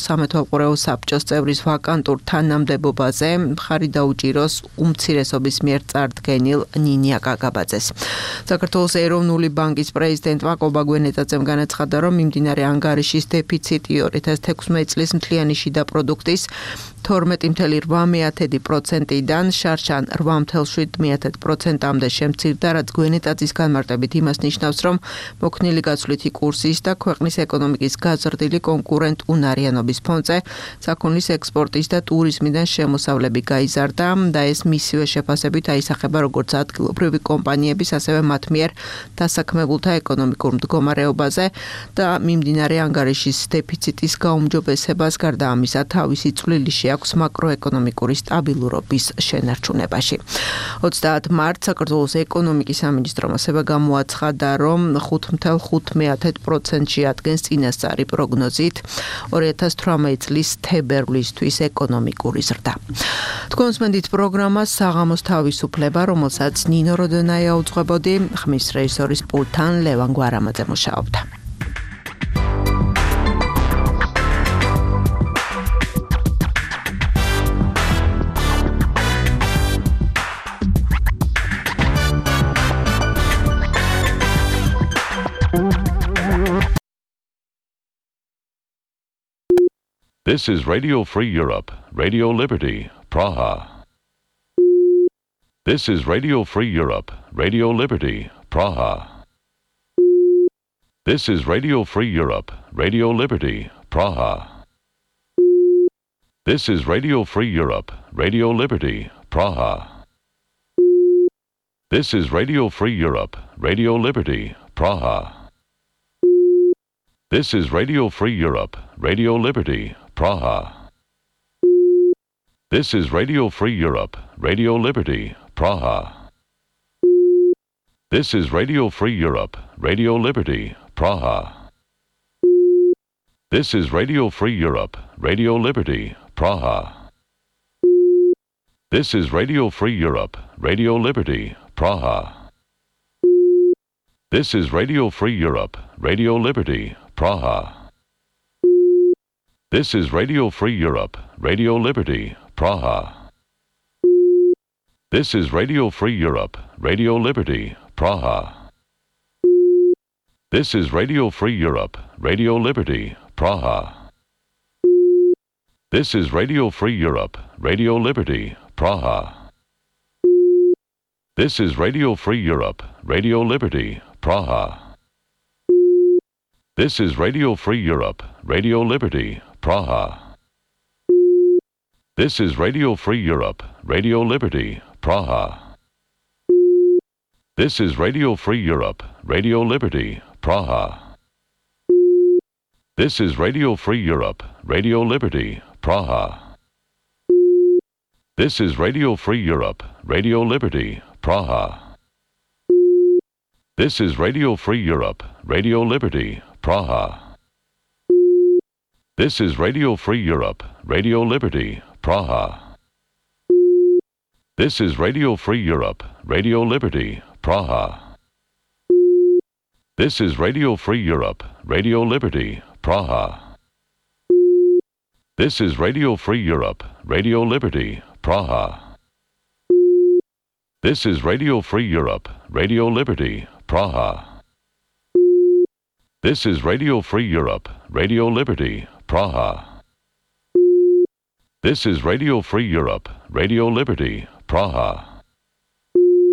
სამეთვალყურეო საბჭოს წევრის ვაკანტურ თანამდებობაზე მხარი დაუჭიროს უმცირესობის მიერ წარდგენილ ნინია გაგაბაძეს. საქართველოს ეროვნული ბანკის პრეზიდენტმა კობა გვენეტაძემ განაცხადა, რომ მიმდინარე ანგარიშის დეფიციტი ორი ათას თექვსმეტი წლის მთლიანი შიდა პროდუქტის თორმეტი წუთი რვა პროცენტიდან შარშან რვა წუთი შვიდ პროცენტამდე შემცირდა, რაც გვენეტაძის განმარტებით იმას ნიშნავს, რომ მოქნილი გაცვლითი კურსის და ქვეყნის ეკონომიკის გაზრდილი კონკურენტუნარიანობის ფონზე საქონლის ექსპორტის და ტურიზმიდან შემოსავლები გაიზარდა და ეს მისივე შეფასებით აისახება როგორც ადგილობრივი კომპანიების, ასევე მათ მიერ დასაქმებულთა ეკონომიკურ მდგომარეობაზე და მიმდინარე ანგარიშის დეფიციტის გაუმჯობესებას გარდა ამისა თავისი წვლილი აქვს მაკროეკონომიკური სტაბილურობის შენარჩუნებაში. ოცდაათ მარტს საქართველოს ეკონომიკის სამინისტრომ ასევე გამოაცხადა, რომ ხუთ წუთი ხუთმეტი პროცენტში ადგენს წინასწარი პროგნოზით ორი ათას თვრამეტი წლის თებერვლისთვის ეკონომიკური ზრდა. თქვენს მენდით პროგრამა საღამოს თავისუფლება, რომელსაც ნინო როდონაია უძღვებოდი, ხმის რეჟისორის პულტთან ლევან გვარამაძე მუშაობდა. This is Radio Free Europe, Radio Liberty, Praha. This is Radio Free Europe, Radio Liberty, Praha. This is Radio Free Europe, Radio Liberty, Praha. This is Radio Free Europe, Radio Liberty, Praha. This is Radio Free Europe, Radio Liberty, Praha. This is Radio Free Europe, Radio Liberty, Praha. This is Radio Free Europe, Radio Liberty, Praha. This is Radio Free Europe, Radio Liberty, Praha. This is Radio Free Europe, Radio Liberty, Praha. This is Radio Free Europe, Radio Liberty, Praha. This is Radio Free Europe, Radio Liberty, Praha. This is Radio Free Europe, Radio Liberty, Praha. This is Radio Free Europe, Radio Liberty, Praha. This is Radio Free Europe, Radio Liberty, Praha. This is Radio Free Europe, Radio Liberty, Praha. This is Radio Free Europe, Radio Liberty, Praha. This is Radio Free Europe, Radio Liberty, Praha. This is Radio Free Europe, Radio Liberty, Praha. This is Radio Free Europe, Radio Liberty, Praha. This is Radio Free Europe, Radio Liberty, Praha. This is Radio Free Europe, Radio Liberty, Praha. This is Radio Free Europe, Radio Liberty, Praha. This is Radio Free Europe, Radio Liberty, Praha. This is Radio Free Europe, Radio Liberty, Praha. This is Radio Free Europe, Radio Liberty, Praha. This is Radio Free Europe, Radio Liberty, Praha. This is Radio Free Europe, Radio Liberty, Praha. This is Radio Free Europe, Radio Liberty, Praha. This is Radio Free Europe, Radio Liberty, Praha.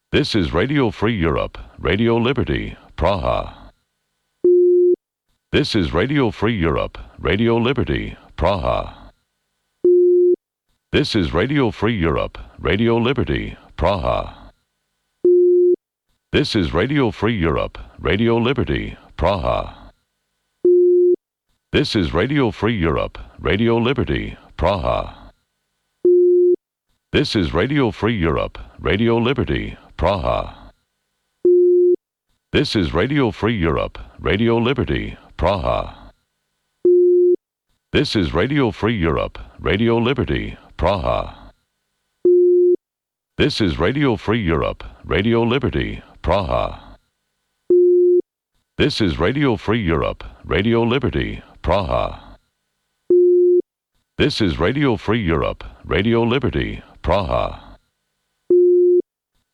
This is Radio Free Europe, Radio Liberty, Praha. This is Radio Free Europe, Radio Liberty, Praha. This is Radio Free Europe, Radio Liberty, Praha. This is Radio Free Europe, Radio Liberty, Praha. This is Radio Free Europe, Radio Liberty, Praha. This is Radio Free Europe, Radio Liberty, Praha. This is Radio Free Europe, Radio Liberty, Praha. This is Radio Free Europe, Radio Liberty, Praha. This is Radio Free Europe, Radio Liberty, Praha. This is Radio Free Europe, Radio Liberty, Praha. This is Radio Free Europe, Radio Liberty, Praha.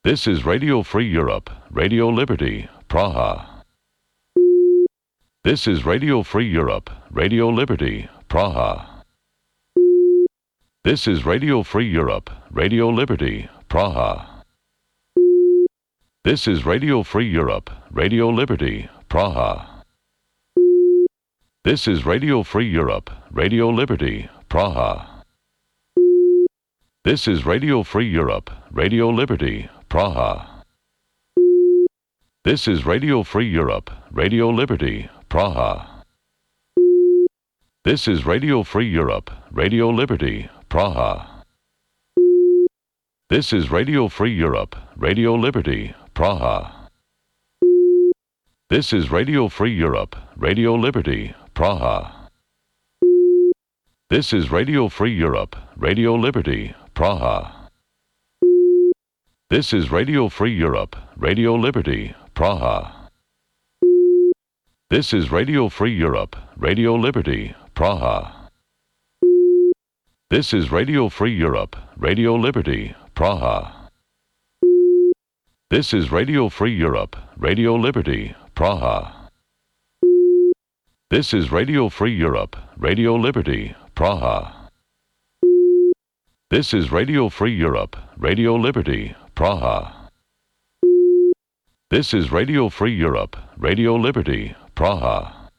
This is Radio Free Europe, Radio Liberty, Praha. This is Radio Free Europe, Radio Liberty, Praha. This is Radio Free Europe, Radio Liberty, Praha. This is Radio Free Europe, Radio Liberty, Praha. This is Radio Free Europe, Radio Liberty, Praha. This is Radio Free Europe, Radio Liberty, Praha. This is Radio Free Europe, Radio Liberty, Praha. This is Radio Free Europe, Radio Liberty, Praha. This is Radio Free Europe, Radio Liberty, Praha. This is Radio Free Europe, Radio Liberty, Praha. This is Radio Free Europe, Radio Liberty, Praha. This is Radio Free Europe, Radio Liberty, Praha. This is Radio Free Europe, Radio Liberty, Praha. This is Radio Free Europe, Radio Liberty, Praha. This is Radio Free Europe, Radio Liberty, Praha. This is Radio Free Europe, Radio Liberty, Praha. This is Radio Free Europe, Radio Liberty, Praha. This is Radio Free Europe, Radio Liberty, Praha.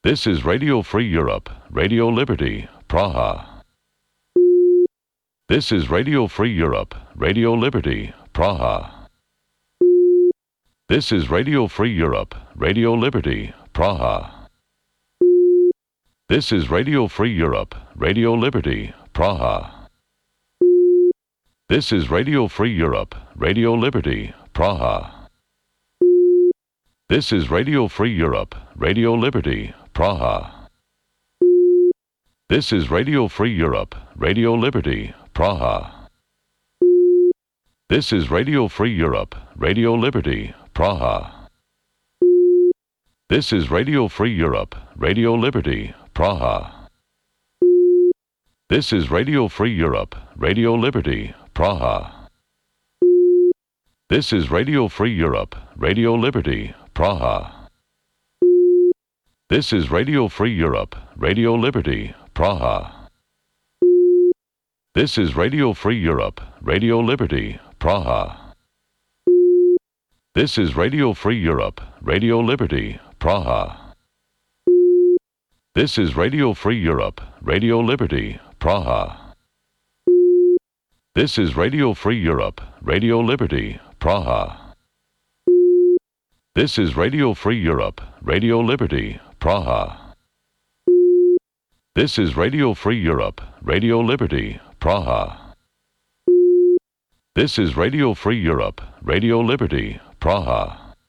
This is Radio Free Europe, Radio Liberty, Praha. This is Radio Free Europe, Radio Liberty, Praha. This is Radio Free Europe, Radio Liberty, Praha. This is Radio Free Europe, Radio Liberty, Praha. This is Radio Free Europe, Radio Liberty, Praha. This is Radio Free Europe, Radio Liberty, Praha. This is Radio Free Europe, Radio Liberty, Praha. This is Radio Free Europe, Radio Liberty, Praha. This is Radio Free Europe, Radio Liberty, Praha. This is Radio Free Europe, Radio Liberty, Praha. This is Radio Free Europe, Radio Liberty, Praha. This is Radio Free Europe, Radio Liberty, Praha. This is Radio Free Europe, Radio Liberty, Praha. This is Radio Free Europe, Radio Liberty, Praha. This is Radio Free Europe, Radio Liberty, Praha. This is Radio Free Europe, Radio Liberty, Praha. This is Radio Free Europe, Radio Liberty, Praha. This is Radio Free Europe, Radio Liberty, Praha. This is Radio Free Europe, Radio Liberty, Praha.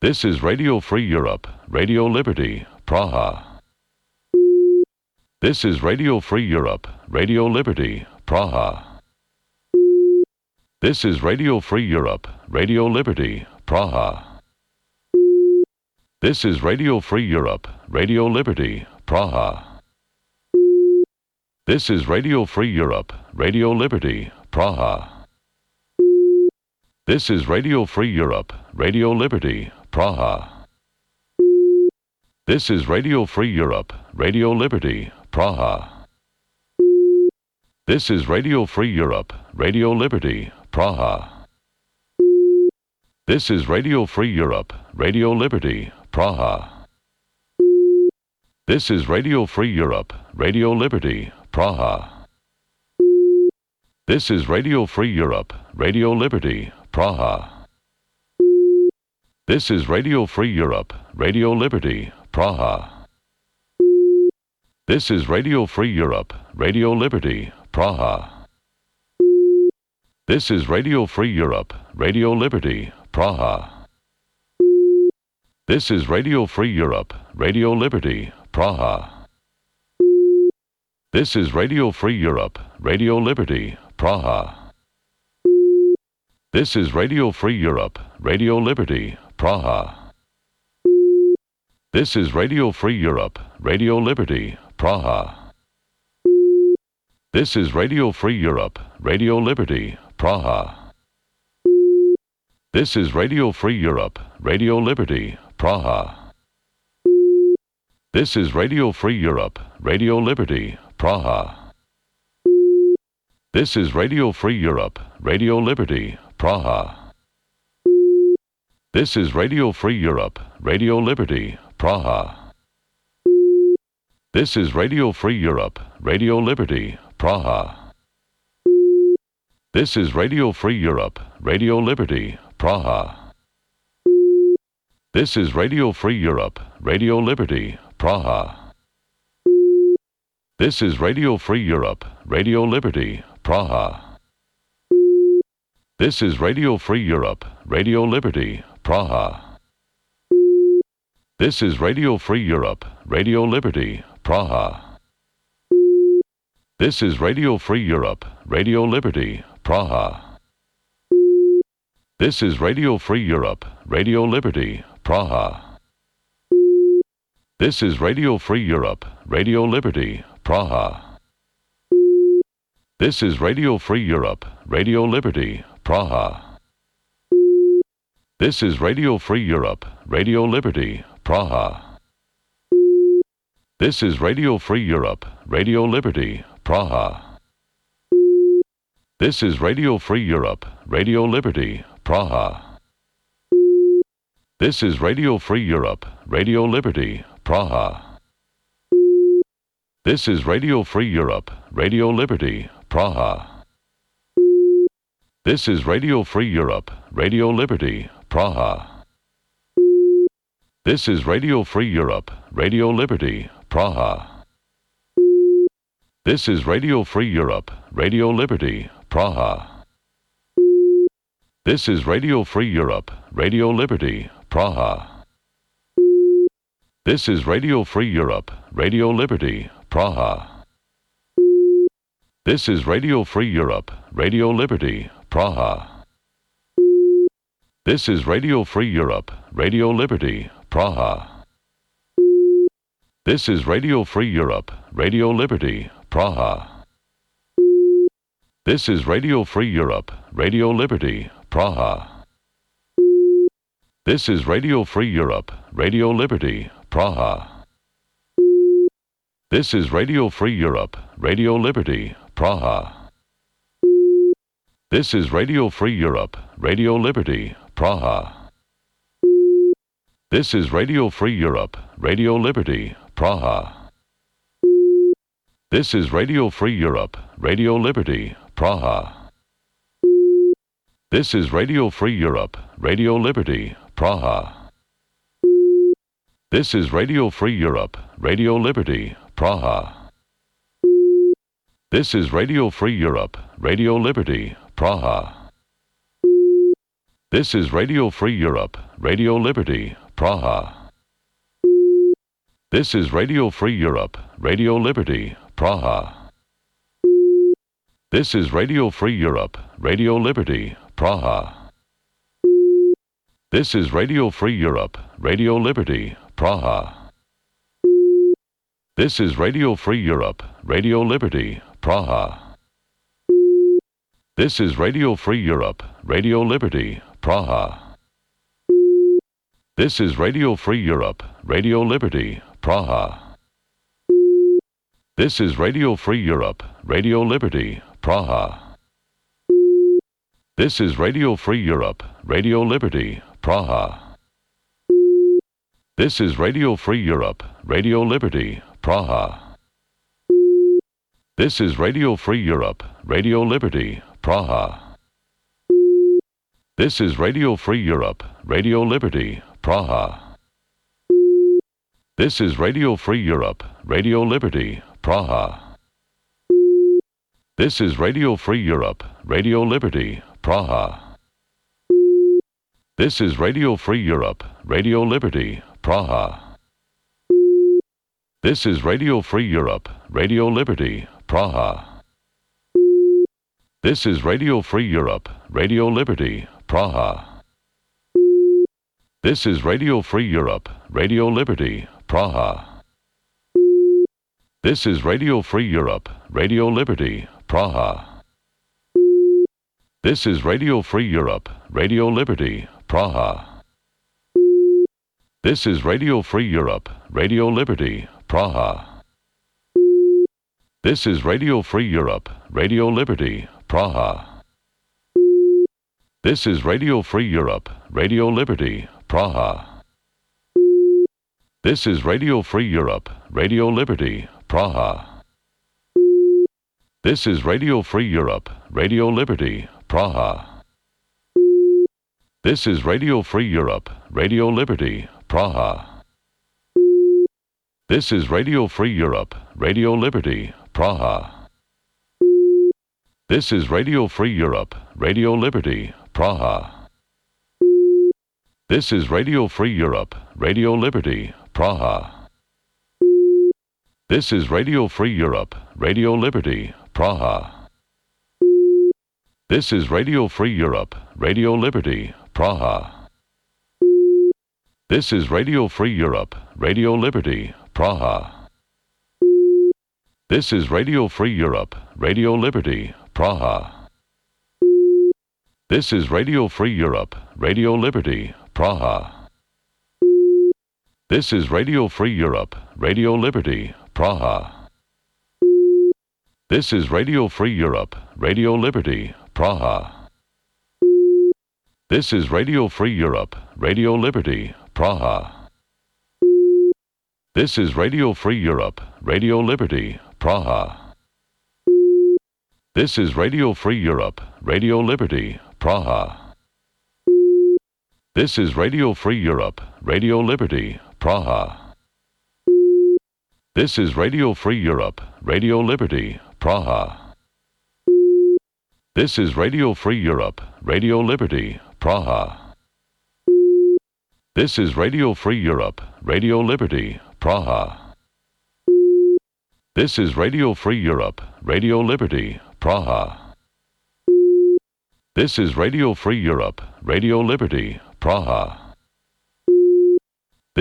This is Radio Free Europe, Radio Liberty, Praha. This is Radio Free Europe, Radio Liberty, Praha. This is Radio Free Europe, Radio Liberty, Praha. This is Radio Free Europe, Radio Liberty, Praha. This is Radio Free Europe, Radio Liberty, Praha. This is Radio Free Europe, Radio Liberty, Praha. This is Radio Free Europe, Radio Liberty, Praha. This is Radio Free Europe, Radio Liberty, Praha. This is Radio Free Europe, Radio Liberty, Praha. This is Radio Free Europe, Radio Liberty, Praha. This is Radio Free Europe, Radio Liberty, Praha. This is Radio Free Europe, Radio Liberty, Praha. This is Radio Free Europe, Radio Liberty, Praha. This is Radio Free Europe, Radio Liberty, Praha. This is Radio Free Europe, Radio Liberty, Praha. This is Radio Free Europe, Radio Liberty, Praha. This is Radio Free Europe, Radio Liberty, Praha. This is Radio Free Europe, Radio Liberty, Praha. This is Radio Free Europe, Radio Liberty, Praha. This is Radio Free Europe, Radio Liberty, Praha. This is Radio Free Europe, Radio Liberty, Praha. This is Radio Free Europe, Radio Liberty, Praha. This is Radio Free Europe, Radio Liberty, Praha. This is Radio Free Europe, Radio Liberty, Praha. This is Radio Free Europe, Radio Liberty, Praha. This is Radio Free Europe, Radio Liberty, Praha. This is Radio Free Europe, Radio Liberty, Praha. This is Radio Free Europe, Radio Liberty, Praha. This is Radio Free Europe, Radio Liberty, Praha. This is Radio Free Europe, Radio Liberty, Praha. This is Radio Free Europe, Radio Liberty, Praha. This is Radio Free Europe, Radio Liberty, Praha. This is Radio Free Europe, Radio Liberty, Praha. This is Radio Free Europe, Radio Liberty, Praha. This is Radio Free Europe, Radio Liberty, Praha. This is Radio Free Europe, Radio Liberty, Praha. This is Radio Free Europe, Radio Liberty, Praha. This is Radio Free Europe, Radio Liberty, Praha. This is Radio Free Europe, Radio Liberty, Praha. This is Radio Free Europe, Radio Liberty, Praha. This is Radio Free Europe, Radio Liberty, Praha. This is Radio Free Europe, Radio Liberty, Praha. This is Radio Free Europe, Radio Liberty, Praha. This is Radio Free Europe, Radio Liberty, Praha. This is Radio Free Europe, Radio Liberty, Praha. This is Radio Free Europe, Radio Liberty, Praha. This is Radio Free Europe, Radio Liberty, Praha. This is Radio Free Europe, Radio Liberty, Praha. This is Radio Free Europe, Radio Liberty, Praha. This is Radio Free Europe, Radio Liberty, Praha. This is Radio Free Europe, Radio Liberty, Praha. This is Radio Free Europe, Radio Liberty, Praha. This is Radio Free Europe, Radio Liberty, Praha. This is Radio Free Europe, Radio Liberty, Praha. This is Radio Free Europe, Radio Liberty, Praha. This is Radio Free Europe, Radio Liberty, Praha. This is Radio Free Europe, Radio Liberty, Praha. This is Radio Free Europe, Radio Liberty, Praha. This is Radio Free Europe, Radio Liberty, Praha. This is Radio Free Europe, Radio Liberty, Praha. This is Radio Free Europe, Radio Liberty, Praha. This is Radio Free Europe, Radio Liberty, Praha. This is Radio Free Europe, Radio Liberty, Praha. This is Radio Free Europe, Radio Liberty, Praha. This is Radio Free Europe, Radio Liberty, Praha. This is Radio Free Europe, Radio Liberty, Praha. This is Radio Free Europe, Radio Liberty, Praha. This is Radio Free Europe, Radio Liberty, Praha. This is Radio Free Europe, Radio Liberty, Praha. This is Radio Free Europe, Radio Liberty, Praha. This is Radio Free Europe, Radio Liberty, Praha. This is Radio Free Europe, Radio Liberty, Praha. This is Radio Free Europe, Radio Liberty, Praha. This is Radio Free Europe, Radio Liberty, Praha. This is Radio Free Europe, Radio Liberty, Praha. This is Radio Free Europe, Radio Liberty, Praha. This is Radio Free Europe, Radio Liberty, Praha. This is Radio Free Europe, Radio Liberty, Praha. This is Radio Free Europe, Radio Liberty, Praha. This is Radio Free Europe, Radio Liberty, Praha. This is Radio Free Europe, Radio Liberty, Praha. This is Radio Free Europe, Radio Liberty, Praha. This is Radio Free Europe, Radio Liberty, Praha. This is Radio Free Europe, Radio Liberty, Praha. This is Radio Free Europe, Radio Liberty, Praha. This is Radio Free Europe, Radio Liberty, Praha. This is Radio Free Europe, Radio Liberty, Praha. This is Radio Free Europe, Radio Liberty, Praha. This is Radio Free Europe, Radio Liberty, Praha. This is Radio Free Europe, Radio Liberty, Praha. This is Radio Free Europe, Radio Liberty, Praha. This is Radio Free Europe, Radio Liberty, Praha. This is Radio Free Europe, Radio Liberty, Praha. This is Radio Free Europe, Radio Liberty, Praha. This is Radio Free Europe, Radio Liberty, Praha. This is Radio Free Europe, Radio Liberty, Praha. This is Radio Free Europe, Radio Liberty, Praha. This is Radio Free Europe, Radio Liberty, Praha. This is Radio Free Europe, Radio Liberty, Praha. This is Radio Free Europe, Radio Liberty, Praha.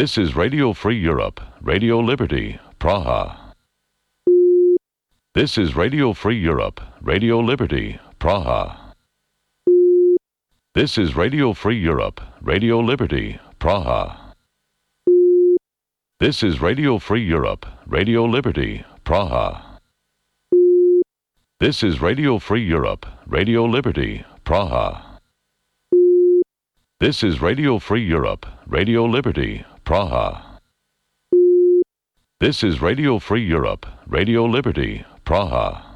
This is Radio Free Europe, Radio Liberty, Praha. This is Radio Free Europe, Radio Liberty, Praha. This is Radio Free Europe, Radio Liberty, Praha. This is Radio Free Europe, Radio Liberty, Praha. This is Radio Free Europe, Radio Liberty, Praha. This is Radio Free Europe, Radio Liberty, Praha. This is Radio Free Europe, Radio Liberty, Praha.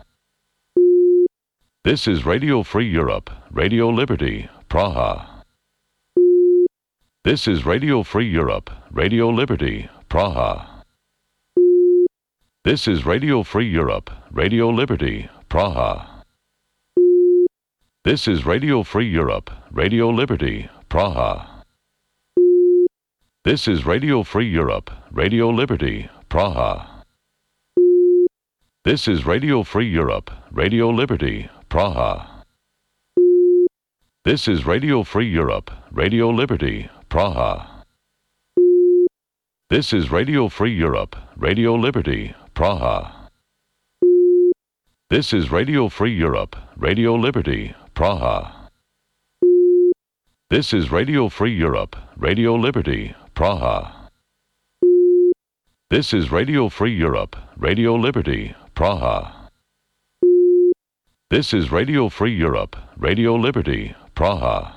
This is Radio Free Europe, Radio Liberty, Praha. This is Radio Free Europe, Radio Liberty, Praha. This is Radio Free Europe, Radio Liberty, Praha. This is Radio Free Europe, Radio Liberty, Praha. This is Radio Free Europe, Radio Liberty, Praha. This is Radio Free Europe, Radio Liberty, Praha. This is Radio Free Europe, Radio Liberty, Praha. This is Radio Free Europe, Radio Liberty, Praha. This is Radio Free Europe, Radio Liberty, Praha. This is Radio Free Europe, Radio Liberty, Praha. This is Radio Free Europe, Radio Liberty, Praha. This is Radio Free Europe, Radio Liberty, Praha.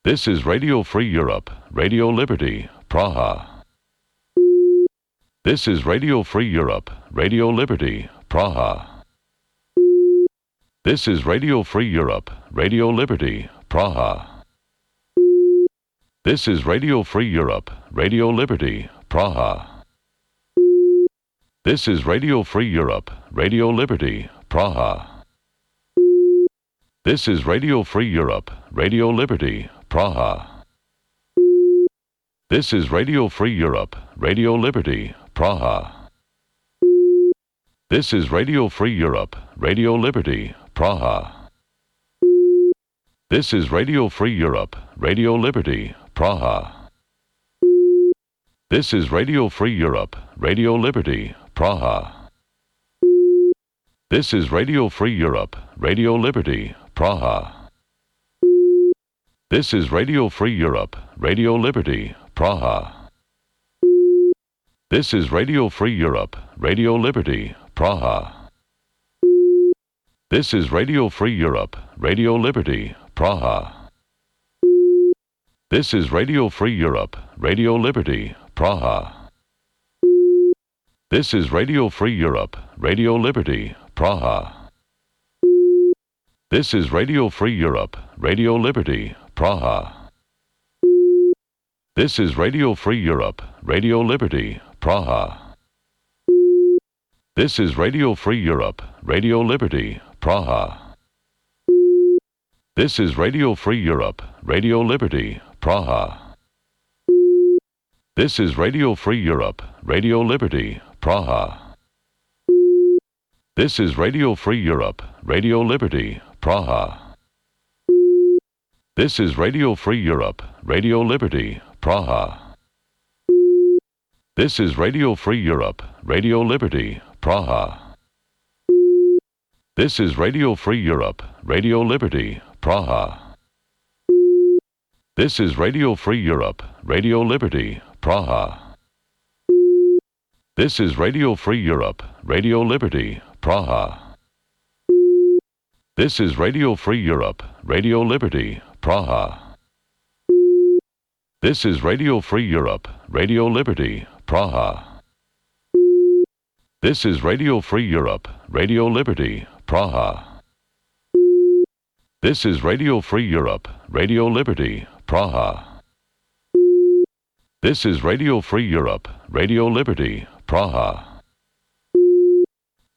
This is Radio Free Europe, Radio Liberty, Praha. This is Radio Free Europe, Radio Liberty, Praha. This is Radio Free Europe, Radio Liberty, Praha. This is Radio Free Europe, Radio Liberty, Praha. This is Radio Free Europe, Radio Liberty, Praha. This is Radio Free Europe, Radio Liberty, Praha. This is Radio Free Europe, Radio Liberty, Praha. This is Radio Free Europe, Radio Liberty, Praha. This is Radio Free Europe, Radio Liberty, Praha. This is Radio Free Europe, Radio Liberty, Praha. This is Radio Free Europe, Radio Liberty, Praha. This is Radio Free Europe, Radio Liberty, Praha. This is Radio Free Europe, Radio Liberty, Praha. This is Radio Free Europe, Radio Liberty, Praha. This is Radio Free Europe, Radio Liberty, Praha. This is Radio Free Europe, Radio Liberty, Praha. This is Radio Free Europe, Radio Liberty, Praha. This is Radio Free Europe, Radio Liberty, Praha. This is Radio Free Europe, Radio Liberty, Praha. This is Radio Free Europe, Radio Liberty, Praha. This is Radio Free Europe, Radio Liberty, Praha. This is Radio Free Europe, Radio Liberty, Praha. This is Radio Free Europe, Radio Liberty, Praha. This is Radio Free Europe, Radio Liberty, Praha. This is Radio Free Europe, Radio Liberty, Praha. This is Radio Free Europe, Radio Liberty, Praha. This is Radio Free Europe, Radio Liberty, Praha. This is Radio Free Europe, Radio Liberty, Praha. This is Radio Free Europe, Radio Liberty, Praha. This is Radio Free Europe, Radio Liberty, Praha. This is Radio Free Europe, Radio Liberty, Praha. This is Radio Free Europe, Radio Liberty, Praha.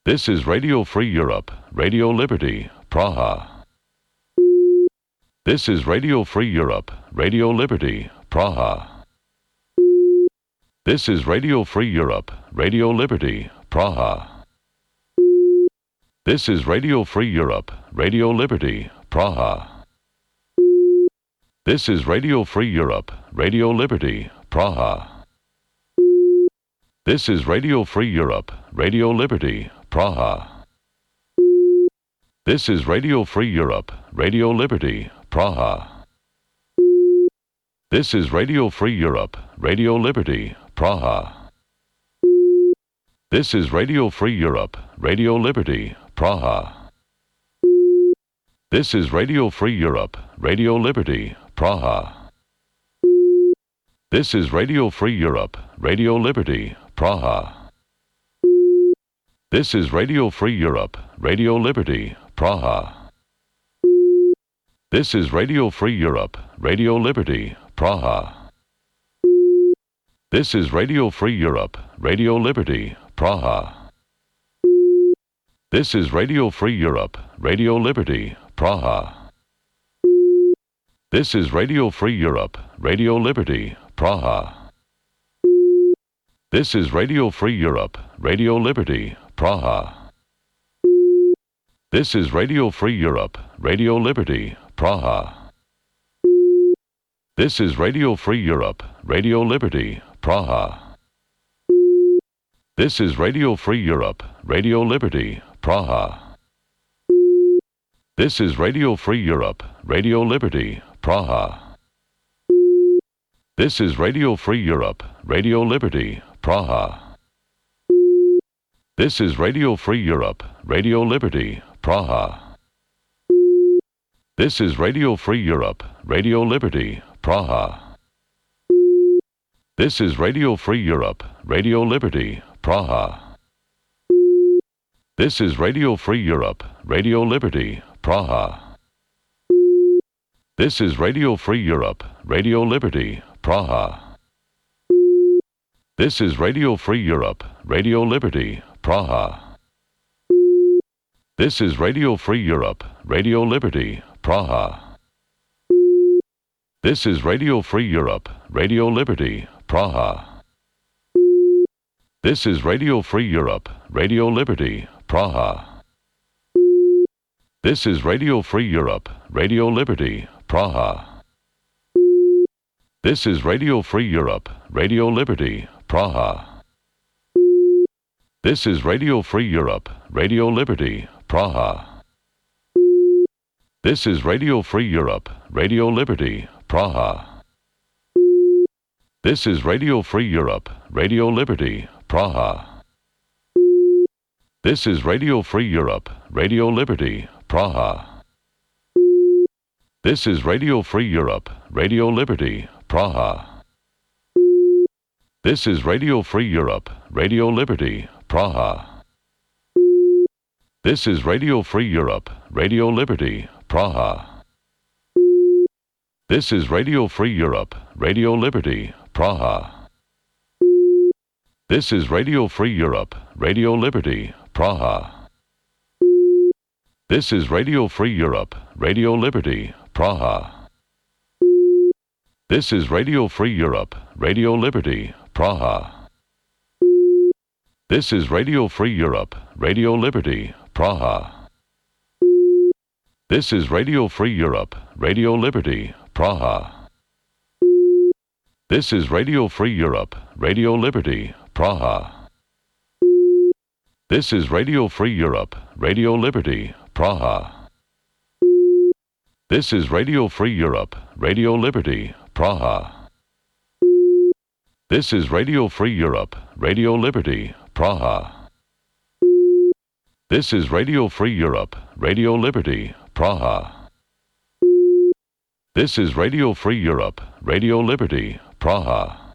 This is Radio Free Europe, Radio Liberty, Praha. This is Radio Free Europe, Radio Liberty, Praha. This is Radio Free Europe, Radio Liberty, Praha. This is Radio Free Europe, Radio Liberty, Praha. This is Radio Free Europe, Radio Liberty, Praha. This is Radio Free Europe, Radio Liberty, Praha. This is Radio Free Europe, Radio Liberty, Praha. This is Radio Free Europe, Radio Liberty, Praha. This is Radio Free Europe, Radio Liberty, Praha. This is Radio Free Europe, Radio Liberty, Praha. This is Radio Free Europe, Radio Liberty, Praha. This is Radio Free Europe, Radio Liberty, Praha. This is Radio Free Europe, Radio Liberty, Praha. This is Radio Free Europe, Radio Liberty, Praha. This is Radio Free Europe, Radio Liberty, Praha. This is Radio Free Europe, Radio Liberty, Praha. This is Radio Free Europe, Radio Liberty, Praha. This is Radio Free Europe, Radio Liberty, Praha. This is Radio Free Europe, Radio Liberty, Praha. This is Radio Free Europe, Radio Liberty, Praha. This is Radio Free Europe, Radio Liberty, Praha. This is Radio Free Europe, Radio Liberty, Praha. This is Radio Free Europe, Radio Liberty, Praha. This is Radio Free Europe, Radio Liberty, Praha. This is Radio Free Europe, Radio Liberty, Praha. This is Radio Free Europe, Radio Liberty, Praha. This is Radio Free Europe, Radio Liberty, Praha. This is Radio Free Europe, Radio Liberty, Praha. This is Radio Free Europe, Radio Liberty, Praha. This is Radio Free Europe, Radio Liberty, Praha. This is Radio Free Europe, Radio Liberty, Praha. This is Radio Free Europe, Radio Liberty, Praha. This is Radio Free Europe, Radio Liberty, Praha. This is Radio Free Europe, Radio Liberty, Praha. This is Radio Free Europe, Radio Liberty, Praha. This is Radio Free Europe, Radio Liberty, Praha. This is Radio Free Europe, Radio Liberty, Praha. This is Radio Free Europe, Radio Liberty, Praha. This is Radio Free Europe, Radio Liberty, Praha. This is Radio Free Europe, Radio Liberty, Praha. This is Radio Free Europe, Radio Liberty, Praha. This is Radio Free Europe, Radio Liberty, Praha. This is Radio Free Europe, Radio Liberty, Praha. This is Radio Free Europe, Radio Liberty, Praha. This is Radio Free Europe, Radio Liberty, Praha. This is Radio Free Europe, Radio Liberty, Praha. This is Radio Free Europe, Radio Liberty, Praha. This is Radio Free Europe, Radio Liberty, Praha. This is Radio Free Europe, Radio Liberty, Praha. This is Radio Free Europe, Radio Liberty, Praha. This is Radio Free Europe, Radio Liberty, Praha. This is Radio Free Europe, Radio Liberty, Praha.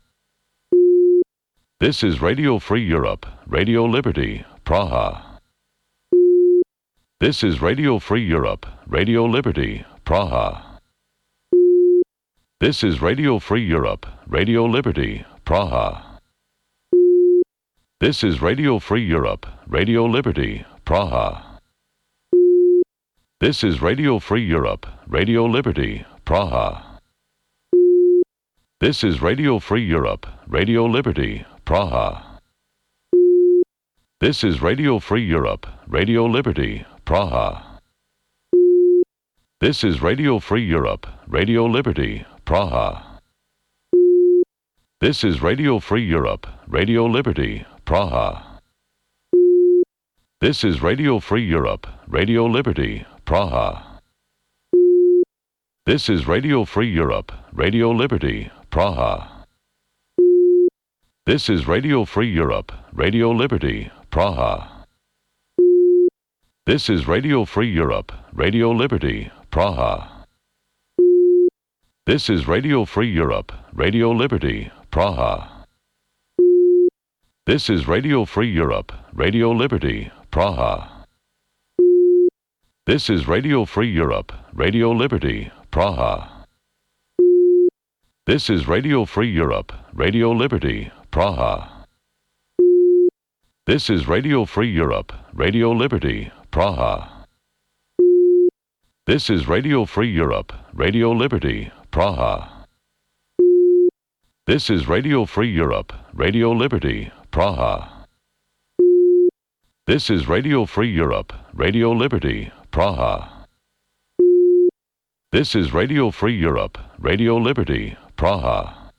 This is Radio Free Europe, Radio Liberty, Praha. This is Radio Free Europe, Radio Liberty, Praha. This is Radio Free Europe, Radio Liberty, Praha. This is Radio Free Europe, Radio Liberty, Praha. This is Radio Free Europe, Radio Liberty, Praha. This is Radio Free Europe, Radio Liberty, Praha. This is Radio Free Europe, Radio Liberty, Praha. This is Radio Free Europe, Radio Liberty, Praha. This is Radio Free Europe, Radio Liberty, Praha. This is Radio Free Europe, Radio Liberty, Praha. This is Radio Free Europe, Radio Liberty, Praha. This is Radio Free Europe, Radio Liberty, Praha. This is Radio Free Europe, Radio Liberty, Praha. This is Radio Free Europe, Radio Liberty, Praha. This is Radio Free Europe, Radio Liberty, Praha. This is Radio Free Europe, Radio Liberty, Praha. This is Radio Free Europe, Radio Liberty, Praha. This is Radio Free Europe, Radio Liberty, Praha. This is Radio Free Europe, Radio Liberty, Praha. This is Radio Free Europe, Radio Liberty, Praha. This is Radio Free Europe, Radio Liberty, Praha. This is Radio Free Europe, Radio Liberty, Praha.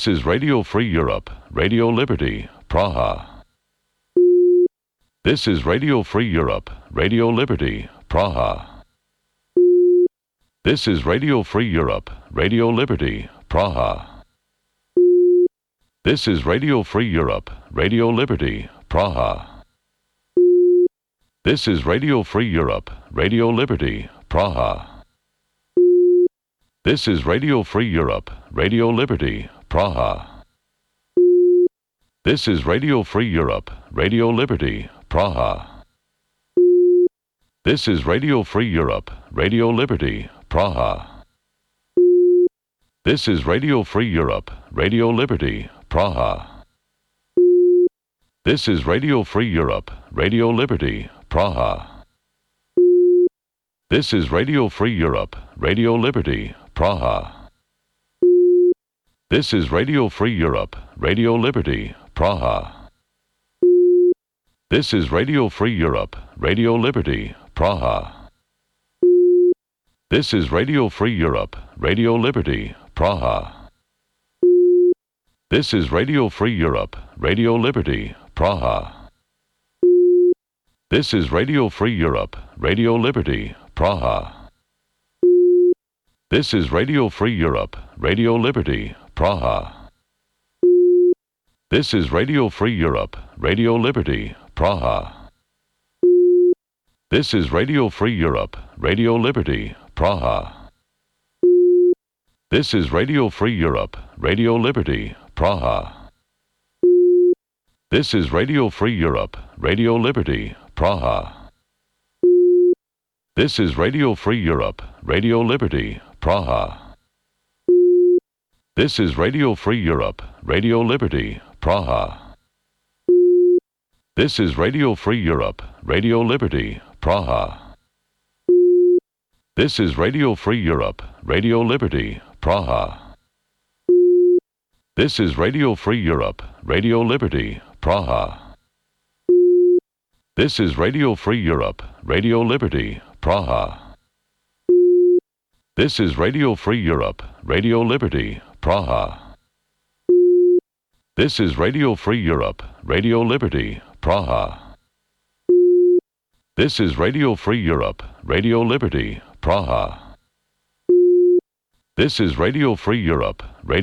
This is Radio Free Europe, Radio Liberty, Praha. This is Radio Free Europe, Radio Liberty, Praha. This is Radio Free Europe, Radio Liberty, Praha. This is Radio Free Europe, Radio Liberty, Praha. This is Radio Free Europe, Radio Liberty, Praha. This is Radio Free Europe, Radio Liberty, Praha. This is Radio Free Europe, Radio Liberty, Praha. This is Radio Free Europe, Radio Liberty, Praha. This is Radio Free Europe, Radio Liberty, Praha. This is Radio Free Europe, Radio Liberty, Praha. This is Radio Free Europe, Radio Liberty, Praha. This is Radio Free Europe, Radio Liberty, Praha. This is Radio Free Europe, Radio Liberty, Praha. This is Radio Free Europe, Radio Liberty, Praha. This is Radio Free Europe, Radio Liberty, Praha. This is Radio Free Europe, Radio Liberty, Praha. This is Radio Free Europe, Radio Liberty, Praha. This is Radio Free Europe, Radio Liberty, Praha. This is Radio Free Europe, Radio Liberty, Praha. This is Radio Free Europe, Radio Liberty, Praha. This is Radio Free Europe, Radio Liberty, Praha. This is Radio Free Europe, Radio Liberty, Praha. This is Radio Free Europe, Radio Liberty, Praha. This is Radio Free Europe, Radio Liberty, Praha. This is Radio Free Europe, Radio Liberty, Praha. This is Radio Free Europe, Radio Liberty, Praha. This is Radio Free Europe, Radio Liberty, Praha. This is Radio Free Europe, Radio Liberty, Praha. This is Radio Free Europe, Radio Liberty, Praha. This is Radio Free Europe, Radio Liberty, Praha. This is Radio Free Europe, Radio